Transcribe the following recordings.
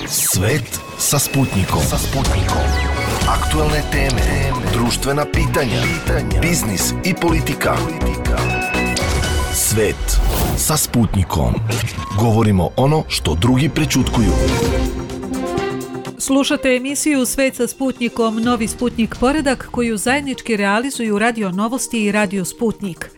Svet sa Sputnikom. Aktualne teme, društvena pitanja, biznis i politika. Svet sa Sputnikom. Govorimo ono što drugi prećutkuju. Slušate emisiju Svet sa Sputnikom, novi Sputnik poredak koju zajednički realizuju Radio Novosti i Radio Sputnik.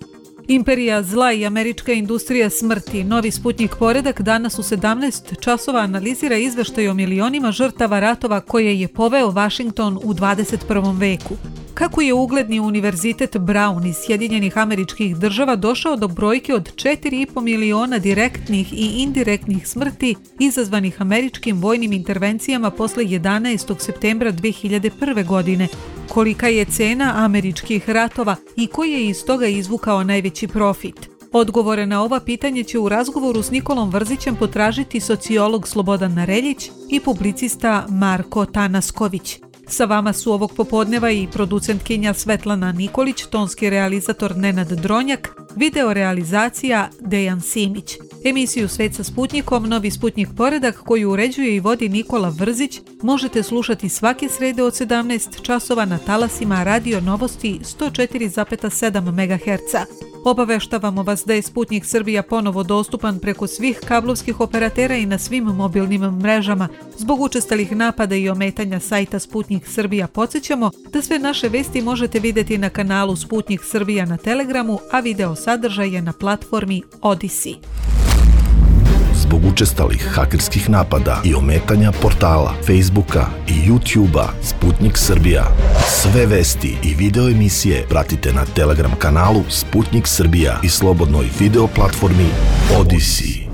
Imperija zla i američka industrija smrti, novi Sputnik poredak danas u 17 časova analizira izveštaj o milionima žrtava ratova koje je poveo Vašington u 21. veku. Kako je ugledni univerzitet Brown iz Sjedinjenih Američkih Država došao do brojke od 4,5 miliona direktnih i indirektnih smrti izazvanih američkim vojnim intervencijama posle 11. septembra 2001. godine, kolika je cena američkih ratova i koji je iz toga izvukao najveći profit. Odgovore na ova pitanje će u razgovoru s Nikolom Vrzićem potražiti sociolog Slobodan Nareljić i publicista Marko Tanasković. Sa vama su ovog popodneva i producentkinja Svetlana Nikolić, tonski realizator Nenad Dronjak, video realizacija Dejan Simić. Emisiju Svet sa Sputnikom, novi Sputnik poredak koju uređuje i vodi Nikola Vrzić, možete slušati svake srede od 17 časova na talasima Radio Novosti 104,7 MHz. Obaveštavamo vas da je Sputnik Srbija ponovo dostupan preko svih kablovskih operatera i na svim mobilnim mrežama. Zbog učestalih napada i ometanja sajta Sputnik Srbija podsjećamo da sve naše vesti možete vidjeti na kanalu Sputnik Srbija na Telegramu, a video sadržaj je na platformi Odyssey. Zbog učestalih hakerskih napada i ometanja portala, Facebooka i YouTubea Sputnik Srbija. Sve vesti i video emisije pratite na Telegram kanalu Sputnik Srbija i slobodnoj video platformi Odyssey.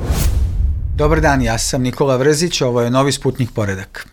Dobar dan, ja sam Nikola Vrzić, ovo je novi Sputnik poredak.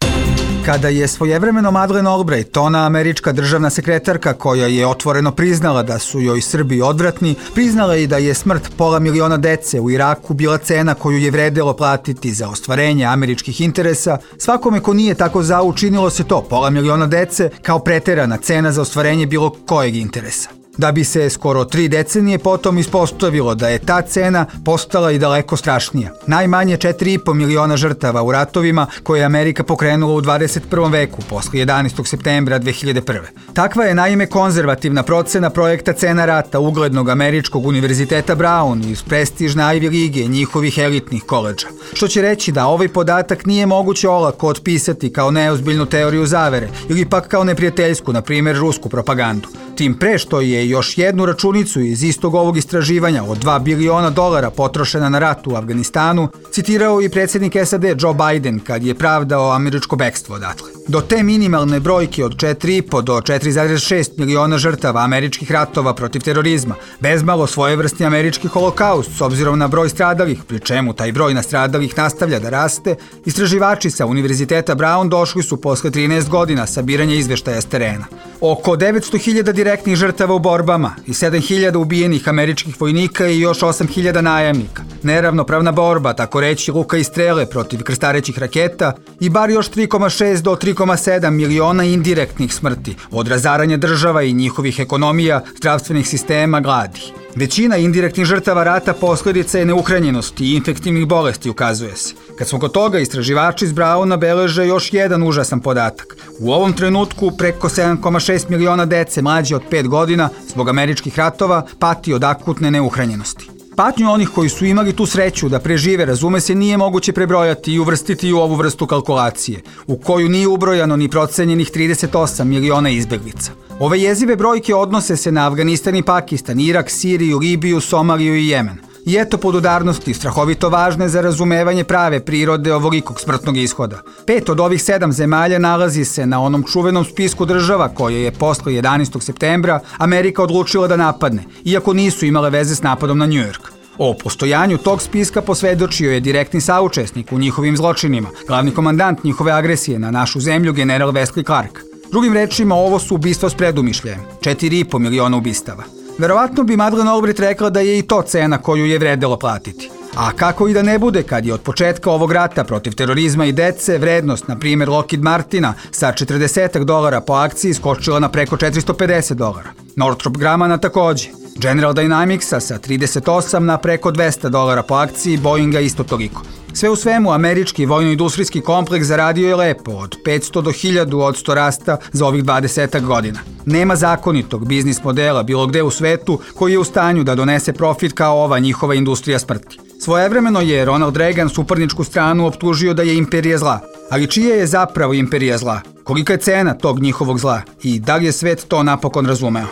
Kada je svojevremeno Madeleine Albright, ona američka državna sekretarka koja je otvoreno priznala da su joj Srbi odvratni, priznala i da je smrt pola miliona dece u Iraku bila cena koju je vredelo platiti za ostvarenje američkih interesa, svakome ko nije tako zao učinilo se to, pola miliona dece, kao preterana cena za ostvarenje bilo kojeg interesa. Da bi se skoro 3 decenije potom ispostavilo da je ta cena postala i daleko strašnija. Najmanje 4,5 miliona žrtava u ratovima koje je Amerika pokrenula u 21. veku, posle 11. septembra 2001. Takva je naime konzervativna procena projekta cena rata uglednog američkog univerziteta Brown iz prestižne Ivy lige njihovih elitnih koledža. Što će reći da ovaj podatak nije moguće olako otpisati kao neozbiljnu teoriju zavere ili pak kao neprijateljsku, na primjer rusku propagandu. Tim pre što je još jednu računicu iz istog ovog istraživanja od $2 biliona potrošena na rat u Afganistanu citirao i predsjednik SAD Joe Biden kad je pravdao američko bekstvo odatle. Do te minimalne brojke od 4,5 do 4,6 miliona žrtava američkih ratova protiv terorizma, bezmalo svojevrsni američki holokaust s obzirom na broj stradalih, pri čemu taj broj nastradalih nastavlja da raste, istraživači sa Univerziteta Brown došli su posle 13 godina sabiranja izveštaja s terena. Oko 900.000 direktnih žrtava u borbama i 7.000 ubijenih američkih vojnika i još 8.000 najamnika. Neravnopravna borba, tako reći luka i strele protiv krstarećih raketa i bar još 3,6 do 3,7 miliona indirektnih smrti od razaranja država i njihovih ekonomija, zdravstvenih sistema, gladi. Većina indirektnih žrtava rata posljedica je neuhranjenosti i infektivnih bolesti, ukazuje se. Kad smo kod toga, istraživači iz Browna beleže još jedan užasan podatak. U ovom trenutku preko 7,6 miliona dece mlađe od 5 godina zbog američkih ratova pati od akutne neuhranjenosti. Patnju onih koji su imali tu sreću da prežive, razume se, nije moguće prebrojati i uvrstiti u ovu vrstu kalkulacije, u koju nije ubrojano ni procenjenih 38 miliona izbeglica. Ove jezive brojke odnose se na Afganistan i Pakistan, Irak, Siriju, Libiju, Somaliju i Jemen. I eto podudarnosti, strahovito važne za razumevanje prave prirode ovolikog smrtnog ishoda. 5 od ovih 7 zemalja nalazi se na onom čuvenom spisku država koje je posle 11. septembra Amerika odlučila da napadne, iako nisu imale veze s napadom na New York. O postojanju tog spiska posvedočio je direktni saučesnik u njihovim zločinima, glavni komandant njihove agresije na našu zemlju, general Wesley Clark. Drugim rečima, ovo su ubistva s predumišljajem, 4,5 miliona ubistava. Verovatno bi Madeleine Albright rekla da je i to cena koju je vredelo platiti. A kako i da ne bude kad je od početka ovog rata protiv terorizma i dece vrednost, na primjer Lockheed Martina, sa $40 po akciji skočila na preko $450. Northrop Grumana takođe. General Dynamicsa sa 38 na preko $200 po akciji, Boeinga isto toliko. Sve u svemu, američki vojno-industrijski kompleks zaradio je lepo, od 500 do 1000% rasta za ovih 20 godina. Nema zakonitog biznis modela bilo gde u svetu koji je u stanju da donese profit kao ova njihova industrija smrti. Svojevremeno je Ronald Reagan suparničku stranu optužio da je imperija zla. Ali čija je zapravo imperija zla? Kolika je cena tog njihovog zla? I da li je svet to napokon razumeo?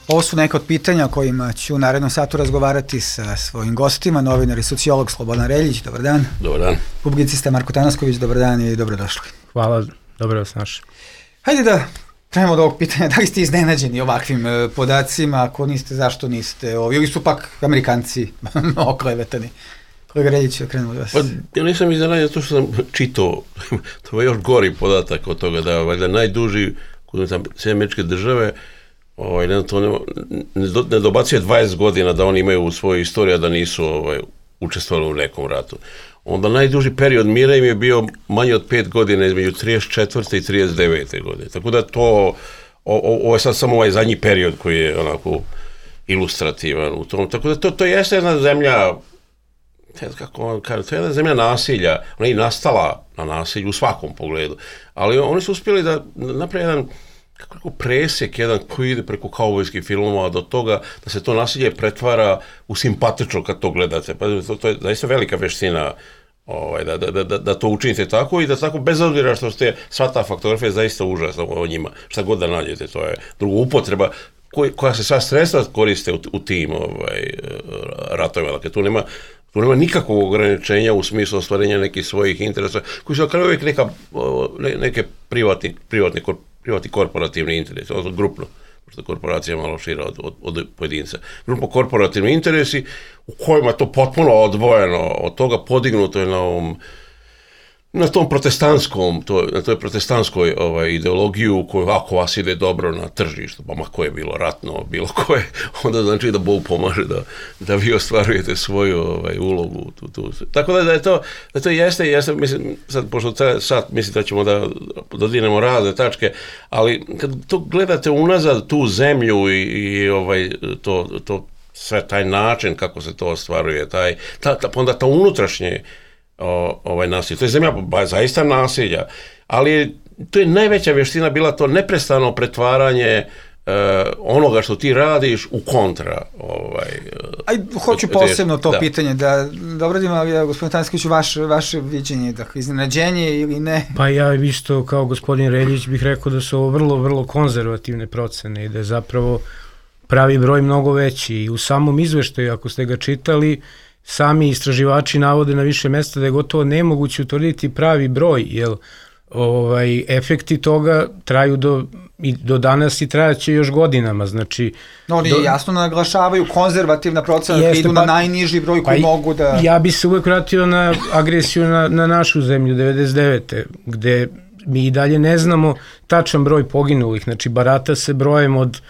Ovo su neka od pitanja o kojima ću u narednom satu razgovarati sa svojim gostima, novinar i sociolog Slobodan Reljić. Dobar dan. Dobar dan. Publicista Marko Tanasković, dobar dan i dobrodošli. Hvala, dobro vas našli. Hajde da krenemo od ovog pitanja. Da li ste iznenađeni ovakvim podacima? Ako niste, zašto niste? Ili su pak Amerikanci oklevetani? Kolega Reljić, krenemo od vas. Pa ja nisam iznenađen zato što sam čitao, to je još gori podatak od toga da valjda najduži kod sve američke države ne dobacuje 20 godina da oni imaju u svojoj istoriji da nisu učestvovali u nekom ratu. Onda najduži period mira im je bio manje od 5 godina između 34. i 39. godine. Tako da to, ovo je sad samo ovaj zadnji period koji je onako ilustrativan u tom. Tako da to jeste jedna zemlja, kako on kaže, to je jedna zemlja nasilja. Ona je i nastala na nasilju u svakom pogledu. Ali oni su uspjeli da napravi jedan presjek jedan koji ide preko kaubojskih filmova do toga da se to nasilje pretvara u simpatično kad to gledate. Pa to je zaista velika veština da to učinite tako i da tako bez obzira što ste sva ta faktografija je zaista užasna o njima. Šta god da nađete, to je druga upotreba koja se sva sredstva koriste u tim ratovima. Dakle, tu nema nikakvog ograničenja u smislu ostvarenja nekih svojih interesa koji su na kraju uvijek neke privatni korporativni interesi, odnosno grupno, pošto korporacija je malo šira od pojedinca. Grupno korporativni interesi u kojima je to potpuno odvojeno od toga, podignuto je na tom na toj protestantskoj ideologiju koju ako vas ide dobro na tržištu, pa ma koje je bilo ratno, bilo koje, onda znači da Bog pomaže da vi ostvarujete svoju ulogu. Tako da to jeste, mislim, sad, pošto sad mislim da ćemo da dodirnemo razne tačke, ali kad to gledate unazad tu zemlju i to sve taj način kako se to ostvaruje, onda to unutrašnje nasilje. To je zemlja zaista nasilja, ali to je najveća vještina bila to neprestano pretvaranje onoga što ti radiš u kontra. Hoću posebno to pitanje da obradim, ali gospodin Tanasković, vaše viđenje, dakle, iznenađenje ili ne? Pa ja isto kao gospodin Reljić bih rekao da su ovo vrlo, vrlo konzervativne procene i da je zapravo pravi broj mnogo veći. I u samom izveštaju, ako ste ga čitali, sami istraživači navode na više mesta da je gotovo nemoguće utvrditi pravi broj, jer efekti toga traju do danas i trajaće još godinama. Znači, oni jasno naglašavaju konzervativna procena, da idu na najniži broj koji mogu da... Ja bi se uvek vratio na agresiju na našu zemlju 99. gde mi i dalje ne znamo tačan broj poginulih. Znači, barata se brojem od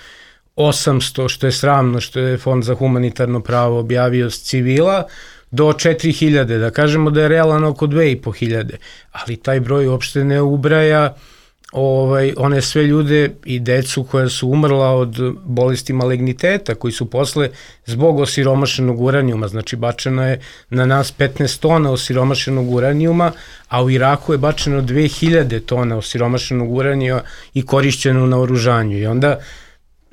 800, što je sramno, što je Fond za humanitarno pravo objavio s civila, do 4000, da kažemo da je realan oko 2500, ali taj broj uopšte ne ubraja one sve ljude i decu koja su umrla od bolesti maligniteta, koji su posle zbog osiromašenog uranijuma, znači bačeno je na nas 15 tona osiromašenog uranijuma, a u Iraku je bačeno 2000 tona osiromašenog uranijuma i korišćeno u naoružanju. I onda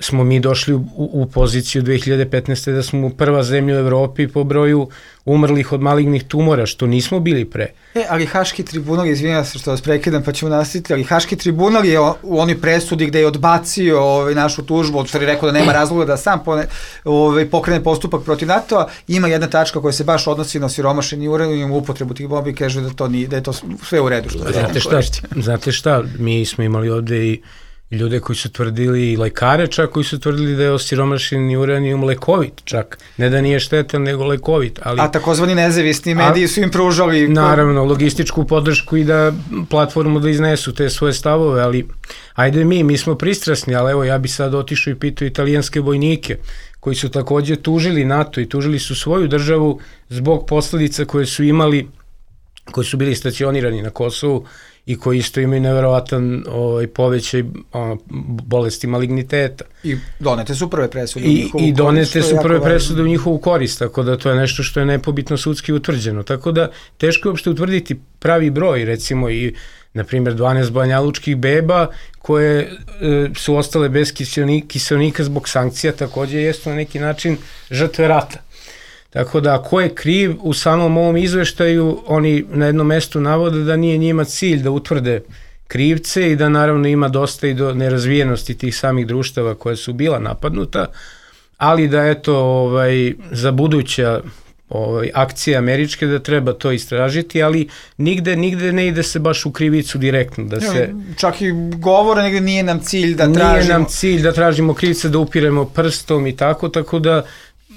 smo mi došli u poziciju 2015. da smo prva zemlja u Evropi po broju umrlih od malignih tumora, što nismo bili pre. Ali Haški tribunal, izvinjam se što vas prekidam pa ćemo nastaviti, ali Haški tribunal je u onoj presudi gde je odbacio našu tužbu, odšto je rekao da nema razloga da sam pokrene postupak protiv NATO-a, ima jedna tačka koja se baš odnosi na osiromašeni uranijum, upotrebu tih bombi, kaže da je to sve u redu. Znate šta, mi smo imali ovde i ljude koji su tvrdili, i lekare čak, koji su tvrdili da je osiromašeni uranijum lekovit čak. Ne da nije štetan, nego lekovit. A takozvani nezavisni mediji su im pružali... Naravno, logističku podršku i da platformu da iznesu te svoje stavove, ali ajde mi smo pristrasni, ali evo ja bi sad otišao i pitao italijanske vojnike koji su takođe tužili NATO i tužili su svoju državu zbog posledica koje su imali koji su bili stacionirani na Kosovu i koji isto imaju nevjerovatan povećaj bolesti maligniteta. I donete su prve presude u njihovu korist. I donete su prve presude u njihovu korist, tako da to je nešto što je nepobitno sudski utvrđeno. Tako da teško je uopšte utvrditi pravi broj, recimo i na primjer 12 banjalučkih beba koje su ostale bez kiseonika zbog sankcija, takođe jesu na neki način žrtve rata. Tako da, ko je kriv, u samom ovom izveštaju oni na jednom mestu navode da nije njima cilj da utvrde krivce i da naravno ima dosta i do nerazvijenosti tih samih društava koja su bila napadnuta, ali da eto za buduća akcije američke da treba to istražiti, ali nigde ne ide se baš u krivicu direktno. Da se, čak i govore, negde nije nam cilj da tražimo... Nije nam cilj da tražimo krivce, da upiremo prstom i tako da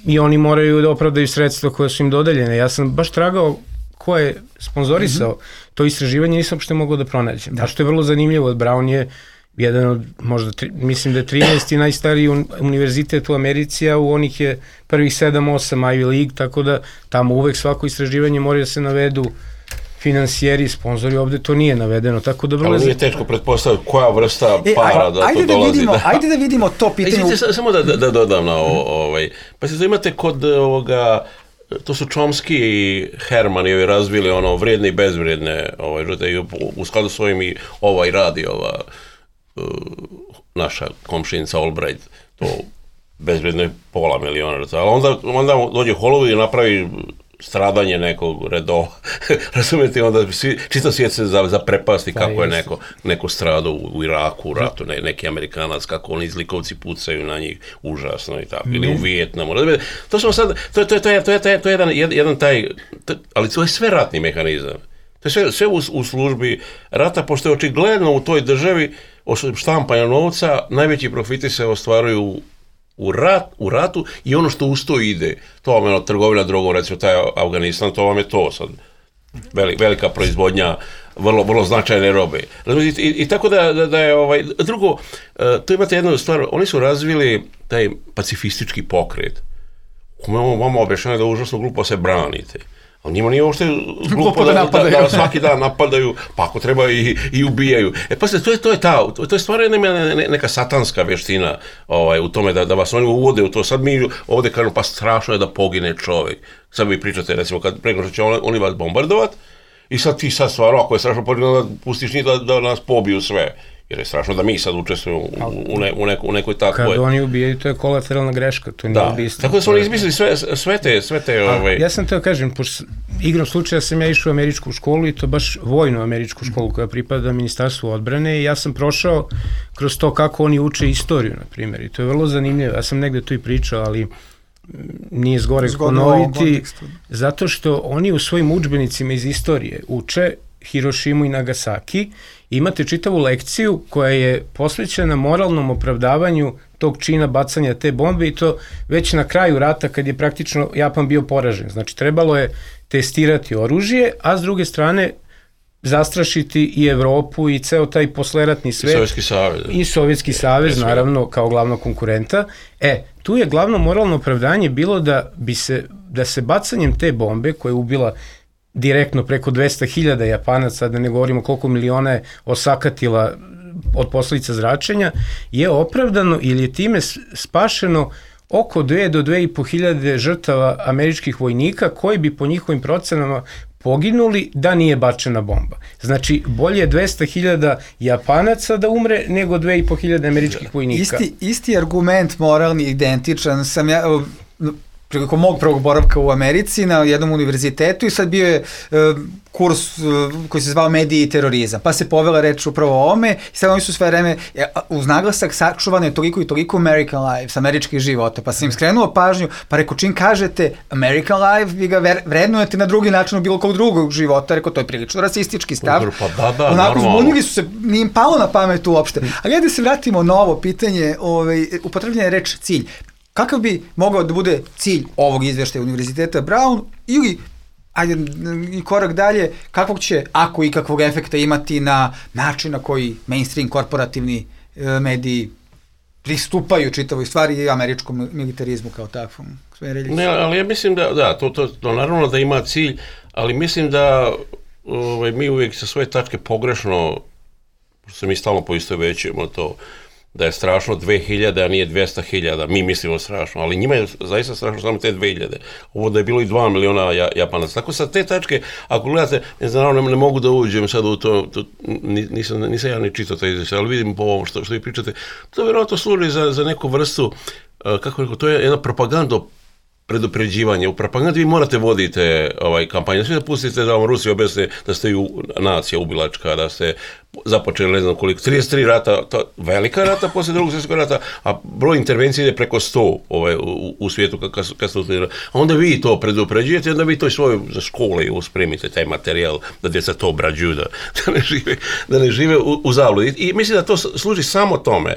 i oni moraju da opravdaju sredstva koje su im dodeljene. Ja sam baš tragao ko je sponzorisao to istraživanje, nisam što mogao da pronađem. A što je vrlo zanimljivo, Brown je jedan od, možda, mislim da je 13. najstariji univerzitet u Americi, a u onih je prvih 7-8 Ivy League, tako da tamo uvek svako istraživanje mora da se navedu finansijeri, sponzori, ovde to nije navedeno, tako da... Ali nije teško pretpostaviti koja vrsta para da to dolazi. Ajde da vidimo to pitanje... Samo da dodam na ovo. Pa se to imate kod ovoga, to su Chomsky i Herman i ovi razvili vrijedne i bezvrijedne žrtve, u skladu s ovim i radi naša komšinica Albright, to bezvrijedno je $500 000, ali onda dođe Hollywood i napravi stradanje nekog redova, razumijete, onda čitav svijet se zaprepasti kako je neko stradao u Iraku, u ratu, neki Amerikanac, kako oni zlikovci pucaju na njih, užasno i tako, ili u Vijetnamu. To smo sad, to je jedan taj, ali to je sve ratni mehanizam. To je sve u službi rata, pošto je očigledno u toj državi štampanja novca, najveći profiti se ostvaruju u ratu i ono što uz to ide. To vam je trgovina drogom, recimo taj Afganistan, to vam je to sad. Velika proizvodnja, vrlo značajne robe. I tako da je drugo, tu imate jednu stvar, oni su razvili taj pacifistički pokret. Vama objašnjeno da je užasno glupo se branite. Ali njima nije uopšte glupo da svaki dan napadaju, pa ako treba i ubijaju. Pa se, to je stvarno neka satanska veština u tome da vas oni uvode u to. Sad mi ovde kažemo, pa strašno je da pogine čovek. Sad vi pričate, recimo, kad preko što će oni vas bombardovat i sad ti stvarno, ako je strašno pogine, da pustiš njih da nas pobiju sve. Jer je strašno da mi sad učestvujemo u nekoj takvoj... Kad oni ubijaju, to je kolateralna greška, to nije ubistvo. Tako da su oni izmislili sve te... Ja sam teo kažem, pošto igrom slučaja sam ja išao u američku školu i to baš vojnu američku školu koja pripada Ministarstvu odbrane i ja sam prošao kroz to kako oni uče istoriju, na primjer, i to je vrlo zanimljivo. Ja sam negde tu i pričao, ali nije zgoreg ponoviti, zato što oni u svojim udžbenicima iz istorije uče Hirošimu i Nagasaki. Imate čitavu lekciju koja je posvećena moralnom opravdavanju tog čina bacanja te bombe i to već na kraju rata kad je praktično Japan bio poražen. Znači trebalo je testirati oružje, a s druge strane zastrašiti i Evropu i ceo taj posleratni svet. Sovjetski savez. I Sovjetski savez, naravno, kao glavnog konkurenta. Tu je glavno moralno opravdanje bilo da se bacanjem te bombe koja je ubila direktno preko 200.000 Japanaca, da ne govorimo koliko miliona je osakatila od posledica zračenja, je opravdano ili je time spašeno oko 2 do 2.500 žrtava američkih vojnika koji bi po njihovim procenama poginuli da nije bačena bomba. Znači, bolje 200.000 Japanaca da umre nego 2.500 američkih vojnika. Isti argument moralni, identičan, sam ja... prilikom mog prvog boravka u Americi na jednom univerzitetu i sad bio je kurs koji se zvao mediji i terorizam, pa se povela reč upravo o ome i sad oni su sve vreme uz naglasak sačuvano je toliko i toliko American lives, američkih života, pa sam im skrenuo pažnju, pa reko čim kažete American life, vi ga vrednujete na drugi način od bilo kog drugog života, reko to je prilično rasistički stav. Pa da, onako zbunili su se, nije im palo na pamet uopšte. Ali da se vratimo na ovo pitanje, upotrebljena je reč cilj. Kakav bi mogao da bude cilj ovog izveštaja Univerziteta Brown ili, ajde i korak dalje, kakvog će, ako i kakvog efekta imati na način na koji mainstream korporativni mediji pristupaju čitavoj stvari i američkom militarizmu kao takvom? Ne, ali ja mislim da to naravno da ima cilj, ali mislim da mi uvijek sa svoje tačke pogrešno, se mi stalno poistovećujemo to, da je strašno 2000, a nije 200.000, mi mislimo strašno, ali njima je zaista strašno samo te 2000. Ovo da je bilo i 2 miliona Japanaca. Tako sa te tačke, ako gledate, ne mogu da uđem sad u to, nisam ja ni čitao to izvješće, ali vidim po ovom što vi pričate, to vjerojatno služi za neku vrstu, kako rekao, to je jedna propaganda predupređivanje. U propagandi vi morate vodite kampanju. Svi da pustite da vam Rusi objasne da ste nacija ubilačka, da ste započeli ne znam koliko, 33 rata, velika rata posle drugog svjetskog rata, a broj intervencije ide preko 100 u svijetu kad ste uspjeli. A onda vi to predupređujete, onda vi to i svoje za škole uspremite, taj materijal, da djeca to obrađuju, da ne žive u zabludi. I mislim da to služi samo tome.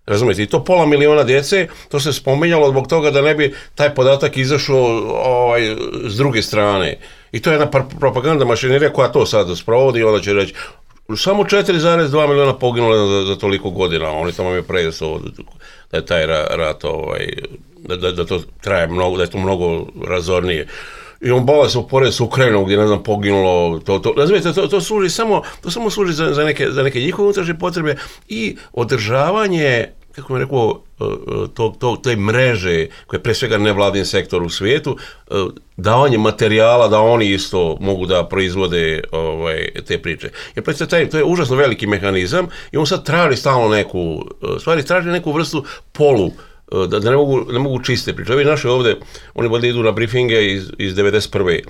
Razumijete, i to 500 miliona djece, to se spominjalo zbog toga da ne bi taj podatak izašao s druge strane. I to je jedna propaganda mašinerija koja to sad sprovodi i onda će reći samo 4,2 miliona poginule za toliko godina, oni tamo imaju prejesu da je taj rat, da to traje mnogo, da je to mnogo razornije. I on bava se upored s Ukrajinom gdje, ne znam, poginulo, razumijete, to služi samo služi za neke njihove unutrašnje potrebe i održavanje, kako bih rekao, te mreže, koje je pre svega nevladin sektor u svijetu, davanje materijala da oni isto mogu da proizvode te priče. Jer predstavite, to je užasno veliki mehanizam i on sad traži stalno traži neku vrstu polu, da ne mogu čiste priče. Ovi naši ovdje, oni bolje idu na briefinge iz 91.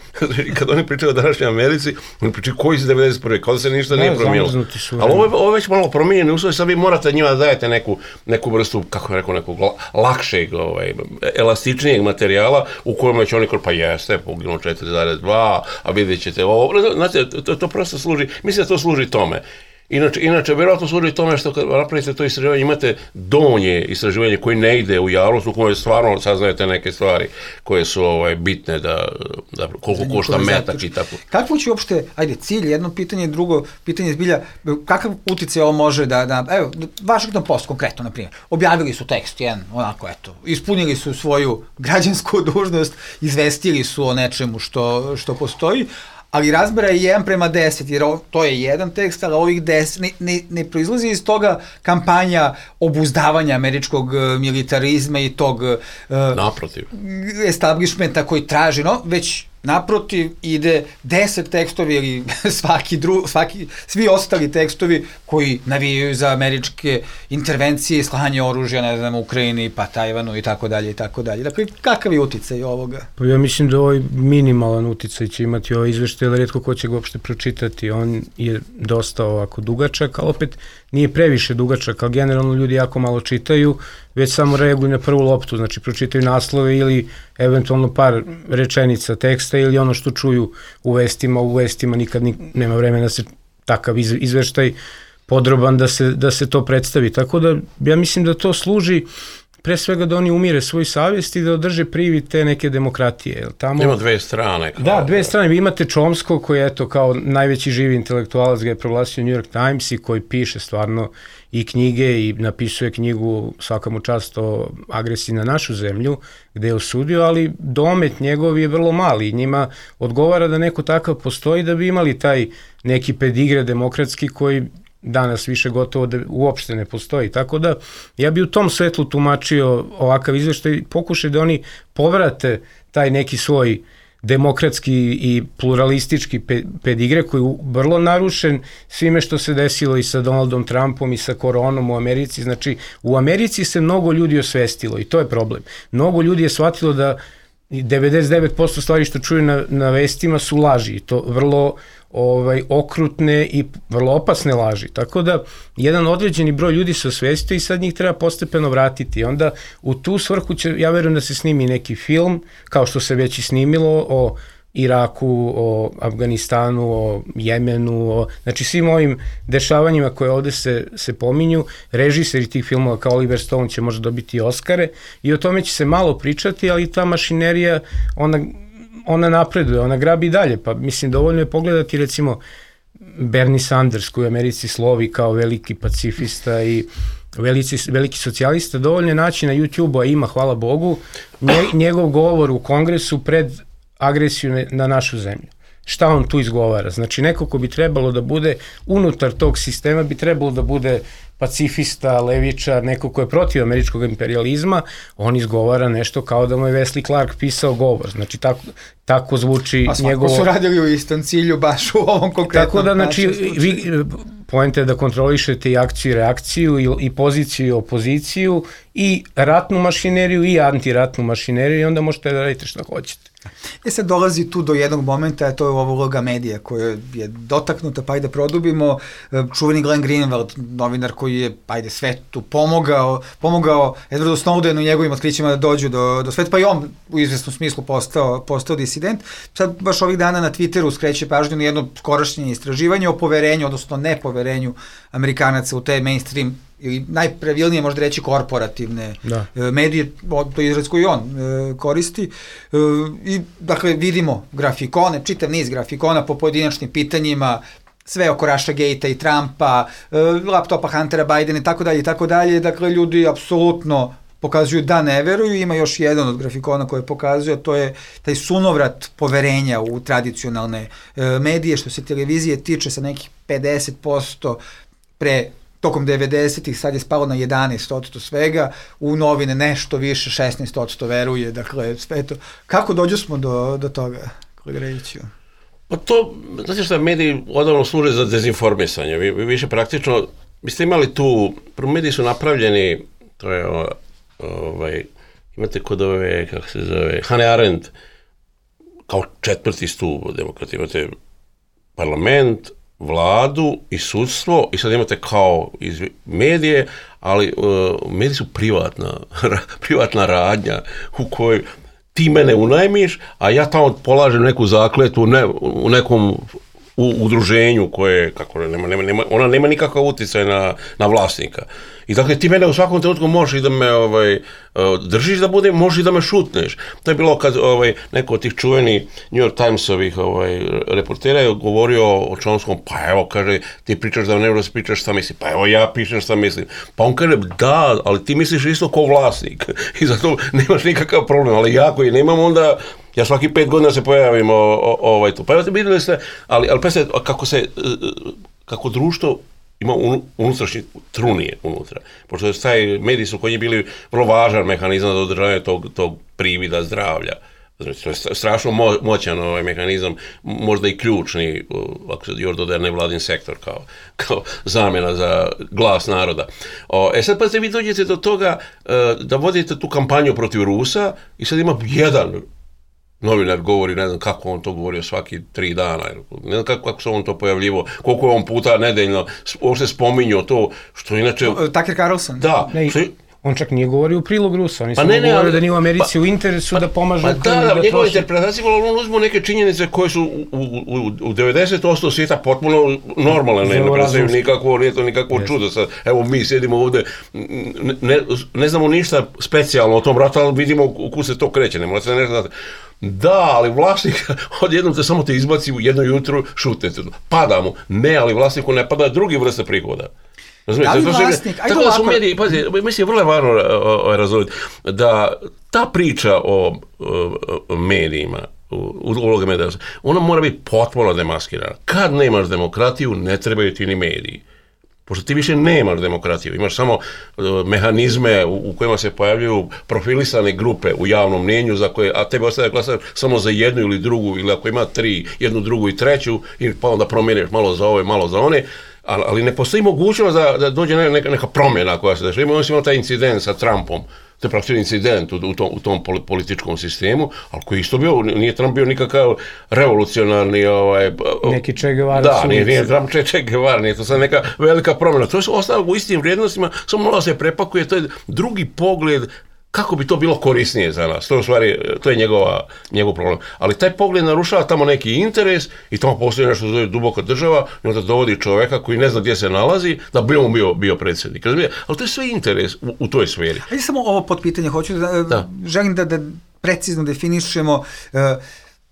Kad oni pričaju o današnjoj Americi, oni pričaju koji iz 91. Kao da se ništa nije promijenilo. Ali ovo je već malo promijenjeni uslov, sad vi morate njima da dajete neku vrstu, kako je rekao, nekog lakšeg, elastičnijeg materijala u kojem će oni pa jeste, poginulo 4,2, a vidjet ćete ovo. Znate, to prosto služi, mislim da to služi tome. Inače, vjerojatno služi tome što kad napravite to istraživanje, imate donje istraživanje koje ne ide u javnost, u kojoj stvarno saznajete neke stvari koje su bitne da koliko košta metak i tako. Kakvo će uopšte, cilj, jedno pitanje, drugo pitanje zbilja, kakav uticaj ovo može evo, Washington Post konkretno, na primjer, objavili su tekst, ispunili su svoju građansku dužnost, izvestili su o nečemu što postoji, ali razmera je 1:10, jer to je jedan tekst, ali ovih 10 ne proizlazi iz toga kampanja obuzdavanja američkog militarizma i tog establishmenta koji traži, već naprotiv ide 10 tekstovi ili svi ostali tekstovi koji navijaju za američke intervencije i slanje oružja, ne znam, Ukrajini, pa Tajvanu i tako dalje i tako dalje. Dakle, kakav je uticaj ovoga? Pa ja mislim da ovaj minimalan uticaj će imati ovaj izveštaj, ali retko ko će ga uopšte pročitati. On je dosta ovako dugačak, ali opet nije previše dugačak, ali generalno ljudi jako malo čitaju, već samo reaguju na prvu loptu, znači pročitaju naslove ili eventualno par rečenica teksta ili ono što čuju u vestima nikad nema vremena da se takav izveštaj podroban da se to predstavi. Tako da ja mislim da to služi pre svega da oni umire svoju savjest i da održe privid te neke demokratije. Ima dve strane. Da, dve strane. Vi imate Chomskog koji je kao najveći živi intelektualac, ga je proglasio New York Times i koji piše stvarno i knjige i napisuje knjigu svaka mu čast o agresiji na našu zemlju gde je osudio, ali domet njegov je vrlo mali. Njima odgovara da neko takav postoji da bi imali taj neki pedigre demokratski koji danas više gotovo da uopšte ne postoji. Tako da ja bi u tom svetlu tumačio ovakav izveštaj, pokušaj da oni povrate taj neki svoj demokratski i pluralistički pedigre koji je vrlo narušen svime što se desilo i sa Donaldom Trumpom i sa koronom u Americi. Znači, u Americi se mnogo ljudi osvestilo i to je problem. Mnogo ljudi je shvatilo da 99% stvari što čuju na vestima su laži i to vrlo okrutne i vrlo opasne laži. Tako da jedan određeni broj ljudi se osvestio i sad njih treba postepeno vratiti. Onda u tu svrhu će, ja verujem da se snimi neki film, kao što se već i snimilo o Iraku, o Afganistanu, o Jemenu, znači svim ovim dešavanjima koje ovde se pominju. Režiseri tih filmova kao Oliver Stone će možda dobiti Oskare i o tome će se malo pričati, ali ta mašinerija, ona napreduje, ona grabi dalje, pa mislim dovoljno je pogledati recimo Bernie Sanders koji u Americi slovi kao veliki pacifista i veliki socijalista, dovoljno je naći na YouTube-u, a ima, hvala Bogu, njegov govor u Kongresu pred agresiju na našu zemlju. šta on tu izgovara. Znači, neko ko bi trebalo da bude unutar tog sistema, bi trebalo da bude pacifista, levičar, neko ko je protiv američkog imperializma, on izgovara nešto kao da mu je Wesley Clark pisao govor. Znači, tako zvuči njegovo... A svako su radili u istom cilju, baš u ovom konkretnom. Tako da, znači, poenta je da kontrolišete i akciju i reakciju i poziciju i opoziciju i ratnu mašineriju i antiratnu mašineriju i onda možete da radite šta hoćete. Sad dolazi tu do jednog momenta, to je ova uloga medija koja je dotaknuta, pa ajde produbimo. Čuveni Glenn Greenwald, novinar koji je, svetu pomogao Edwardu Snowdenu i njegovim otkrićima da dođu do sveta, pa i on u izvesnom smislu postao disident. Sad baš ovih dana na Twitteru skreće pažnju na jedno skorašnje istraživanje o poverenju, odnosno nepoverenju Amerikanaca u te mainstream ili najpravilnije možda reći korporativne medije, to je izraz koji on koristi. I dakle vidimo grafikone, čitav niz grafikona po pojedinačnim pitanjima, sve oko Russiagate-a i Trumpa, laptopa Huntera Bidena i tako dalje. Dakle, ljudi apsolutno pokazuju da ne veruju. Ima još jedan od grafikona koji pokazuje, to je taj sunovrat poverenja u tradicionalne medije, što se televizije tiče sa nekih 50% tokom 90-ih, sad je spalo na 11% svega, u novine nešto više, 16% veruje, dakle, sve to. Kako dođu smo do toga, kolega Rejiću? Pa to, znači što mediji odavno služe za dezinformisanje, vi više praktično, vi ste imali tu, prvo mediji su napravljeni, to je, imate kod ove, kako se zove, Hannah Arendt, kao četvrti stup demokratije, imate parlament, vladu i sudstvo i sad imate kao medije, ali mediji su privatna radnja u kojoj ti mene unajmiš, a ja tamo polažem neku zakletu u nekom udruženju koje, ona nema nikakav utjecaj na vlasnika. I dakle, ti mene u svakom trenutku možeš i da me držiš da budem, možeš i da me šutneš. To je bilo kad neko od tih čuveni New York Timesovih reportera je govorio o Chomskom, pa evo, kaže, ti pričaš da ne možeš pričaš šta misliš, pa evo ja pišem šta mislim. Pa on kaže, da, ali ti misliš isto kao vlasnik i zato nemaš nikakav problem, ali ja koji nemam onda, ja svaki 5 godina se pojavim tu. Pa evo, vidjeli ste, ali pa se, kako društvo ima unutrašnje trunije unutra. Pošto taj mediji su koji je bili vrlo važan mehanizam za održavanje tog privida zdravlja. Znači, to je strašno moćan mehanizam, možda i ključni, ako se još dodaje nevladin sektor kao zamjena za glas naroda. Sad pa vi dođete do toga da vodite tu kampanju protiv Rusa i sad ima jedan novinar govori, ne znam kako on to govorio svaki 3 dana, ne znam kako se on to pojavljivo, koliko je on puta nedeljno uopšte spominjao to, što inače... Tucker Carlson? Da. On čak nije govorio u prilog Rusa, oni samo govorio da nije u Americi u interesu da pomažu... Da, njegove interpretacije, on uzmo neke činjenice koje su u 90% svijeta potpuno normalne, ne predstavljaju nikakvo čudo. Evo mi sjedimo ovde, ne znamo ništa specijalno o tom ratu, ali vidimo kud se to kreće, ne morate nešto znati. Da, ali vlasnik odjednom samo te izbaci u jedno jutro, šutnete. Pada mu. Ne, ali vlasniku ne pada drugi vrsta prihoda. Da li vlasnik? Ajde ovako. Tako da su mediji, pazi, mislim, vrlo je važno razumjeti da ta priča o medijima, uloga medija, ona mora biti potpuno demaskirana. Kad nemaš demokratiju, ne trebaju ti ni mediji. Pošto ti više nemaš demokratiju, imaš samo mehanizme u kojima se pojavljuju profilisane grupe u javnom mnijenju, za koje, a tebe ostaje glasaš samo za jednu ili drugu, ili ako ima 3, jednu, drugu i treću, pa onda promijeniš malo za ove, malo za one, ali ne postoji mogućnost da dođe neka promjena koja se dešava. Imamo taj incident sa Trumpom, to je praktično incident u tom političkom sistemu, ali koji isto bio, nije Trump bio nikakav revolucionarni... Neki Che Guevara. Da, nije Trump Che Guevara, nije to sad neka velika promjena. To je ostalo u istim vrijednostima, samo malo se prepakuje, to je drugi pogled kako bi to bilo korisnije za nas. To je u stvari, to je njegov problem. Ali taj pogled narušava tamo neki interes i tamo postoji nešto zove duboka država i onda dovodi čoveka koji ne zna gdje se nalazi da bi on bio predsjednik. Ali to je sve interes u toj sferi. Ajde samo ovo potpitanje, želim da precizno definišemo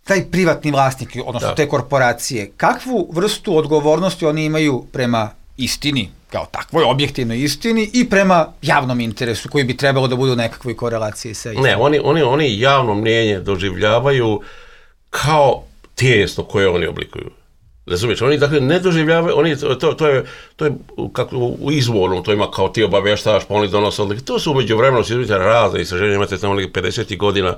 taj privatni vlasnik, odnosno te korporacije. Kakvu vrstu odgovornosti oni imaju prema istini, kao takvoj objektivnoj istini i prema javnom interesu koji bi trebalo da budu u nekakvoj korelaciji sa istinom? Ne, oni javno mnijenje doživljavaju kao tijesto koje oni oblikuju. Razumiješ, oni dakle ne doživljavaju, to je kako u izvornom, to ima kao ti obavještaš, pa oni donose odlike. To su umeđu vremenu, si razne istraženja, imate tamo 50. godina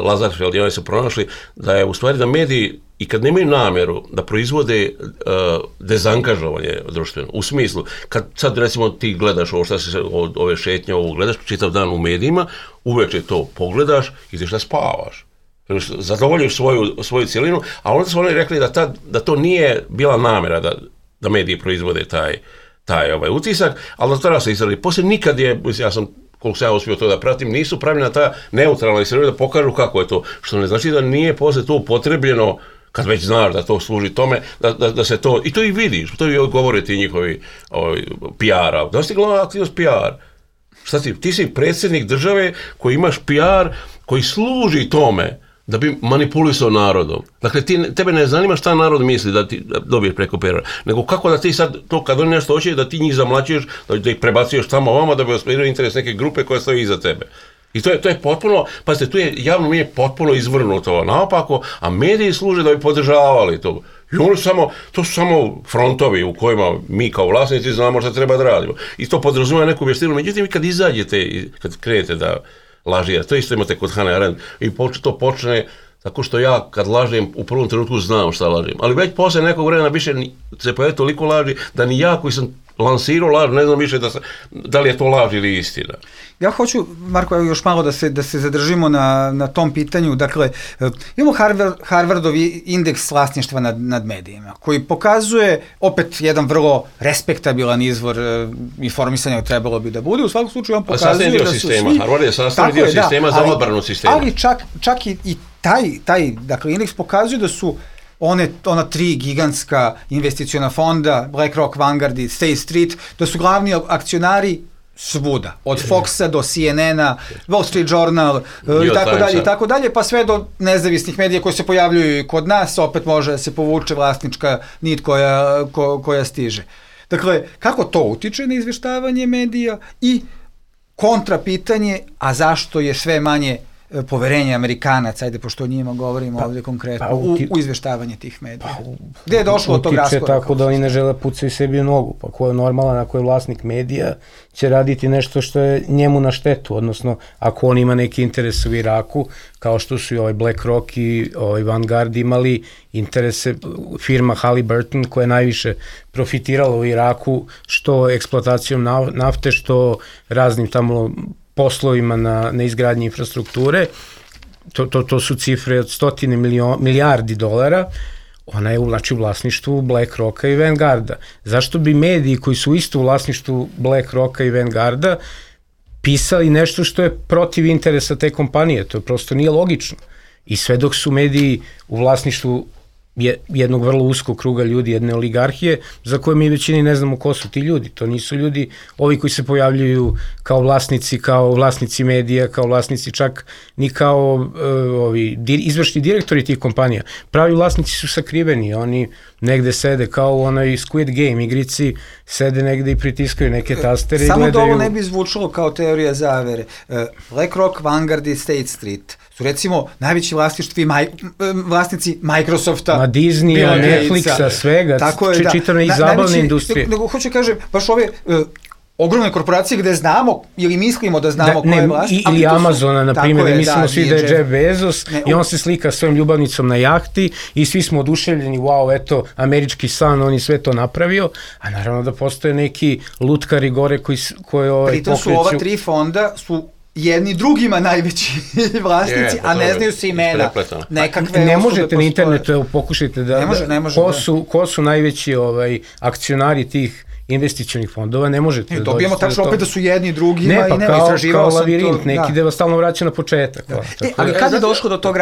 Lazarfeld i oni su pronašli da je u stvari da mediji i kad nemaju namjeru da proizvode dezangažovanje društveno, u smislu, kad sad recimo ti gledaš ovo šta se od ove šetnje, ovo gledaš čitav dan u medijima, uveče to pogledaš i ideš da spavaš. Zadovoljiš svoju cijelinu, a onda su oni rekli da to nije bila namjera da mediji proizvode taj utisak, ali da tada se izradi. Poslije nikad je, koliko sam ja uspio to da pratim, nisu pravljena ta neutralna istraživanja da pokažu kako je to, što ne znači da nije poslije to upotrebljeno, kad već znaš da to služi tome, da se to, i to i vidiš, to i govore ti njihovi PR-a, da si glavna aktivnost PR. Šta ti si predsjednik države koji imaš PR koji služi tome da bi manipulisao narodom. Dakle, tebe ne zanima šta narod misli da ti dobiješ preko PR-a, nego kako da ti sad, to kad oni nešto hoće, da ti njih zamlaćuješ, da ih prebacuješ tamo ovama, da bi ostvario interes neke grupe koja stoji iza tebe. I to je potpuno, pazite, tu je javno mnjenje potpuno izvrnuto naopako, a mediji služe da bi podržavali to. I oni to su samo frontovi u kojima mi kao vlasnici znamo šta treba da radimo. I to podrazumijeva neku vještinu. Međutim, kad izađete, kad krenete da lažijete, to isto imate kod Hannah Arendt, i to počne tako što ja kad lažem u prvom trenutku znam šta lažem. Ali već posle nekog vremena više se pojavi toliko laži da ni ja koji sam lansirao laž ne znam više da li je to laž ili istina. Ja hoću, Marko, još malo da se zadržimo na tom pitanju. Dakle, imamo Harvardov indeks vlasništva nad medijima, koji pokazuje opet jedan vrlo respektabilan izvor informisanja trebalo bi da bude. U svakom slučaju on pokazuje da su svi... Harvard je sastavni dio sistema za odbranu sistema. Ali čak i taj dakle, indeks pokazuje da su ona tri gigantska investiciona fonda, BlackRock, Vanguard i State Street, da su glavni akcionari svuda, od Foxa do CNN-a, Wall Street Journal i tako dalje, pa sve do nezavisnih medija koji se pojavljuju kod nas, opet može da se povuče vlasnička nit koja stiže. Dakle, kako to utiče na izveštavanje medija i kontra pitanje, a zašto je sve manje poverenje Amerikanaca, ajde pošto o njima govorimo ovdje konkretno, u izveštavanje tih medija. Gde je došlo od tog raskoraka? Utiče tako da oni ne žele pucaju sebi u nogu, pa ko je normalan, ako je vlasnik medija, će raditi nešto što je njemu na štetu, odnosno ako on ima neki interes u Iraku, kao što su i BlackRock i Vanguard imali interese, firma Halliburton koja je najviše profitirala u Iraku, što eksploatacijom nafte, što raznim tamo poslovima na izgradnji infrastrukture, to su cifre od 100 milijardi dolara, ona je u vlasništvu BlackRocka i Vanguarda. Zašto bi mediji koji su isto u vlasništvu BlackRocka i Vanguarda pisali nešto što je protiv interesa te kompanije? To prosto nije logično. I sve dok su mediji u vlasništvu jednog vrlo uskog kruga ljudi, jedne oligarhije, za koje mi većini ne znamo ko su ti ljudi. To nisu ljudi, ovi koji se pojavljuju kao vlasnici medija, kao vlasnici čak ni kao izvršni direktori tih kompanija. Pravi vlasnici su sakriveni, oni negde sede kao u onoj Squid Game igrici, sede negde i pritiskaju neke tastere i gledaju... Samo da ovo ne bi zvučalo kao teorija zavere. BlackRock, Vanguard i State Street su recimo najveći vlasnici Microsofta, Disneya, Netflixa, svega, čitavne i zabavne industrije. Nego hoću kažem, baš ove ogromne korporacije gde znamo ili mislimo da znamo ko je vlasnik. Ili Amazona, na primjer, da mislimo svi da je Jeff Bezos i on se slika svojim ljubavnicom na jahti i svi smo oduševljeni, wow, eto, američki san, on je sve to napravio, a naravno da postoje neki lutkari gore koji pritom su ova tri fonda su jedni drugima najveći vlasnici, a ne znaju se imena. Ne možete na internetu, pokušajte da... Ko su najveći akcionari tih investicionih fondova, ne možete da dođete. Dobijemo tačno opet da su jedni drugima i nema, istraživao sam to. Ne, pa kao lavirint, neki da vas stalno vraća na početak. Ali kad je došlo do tog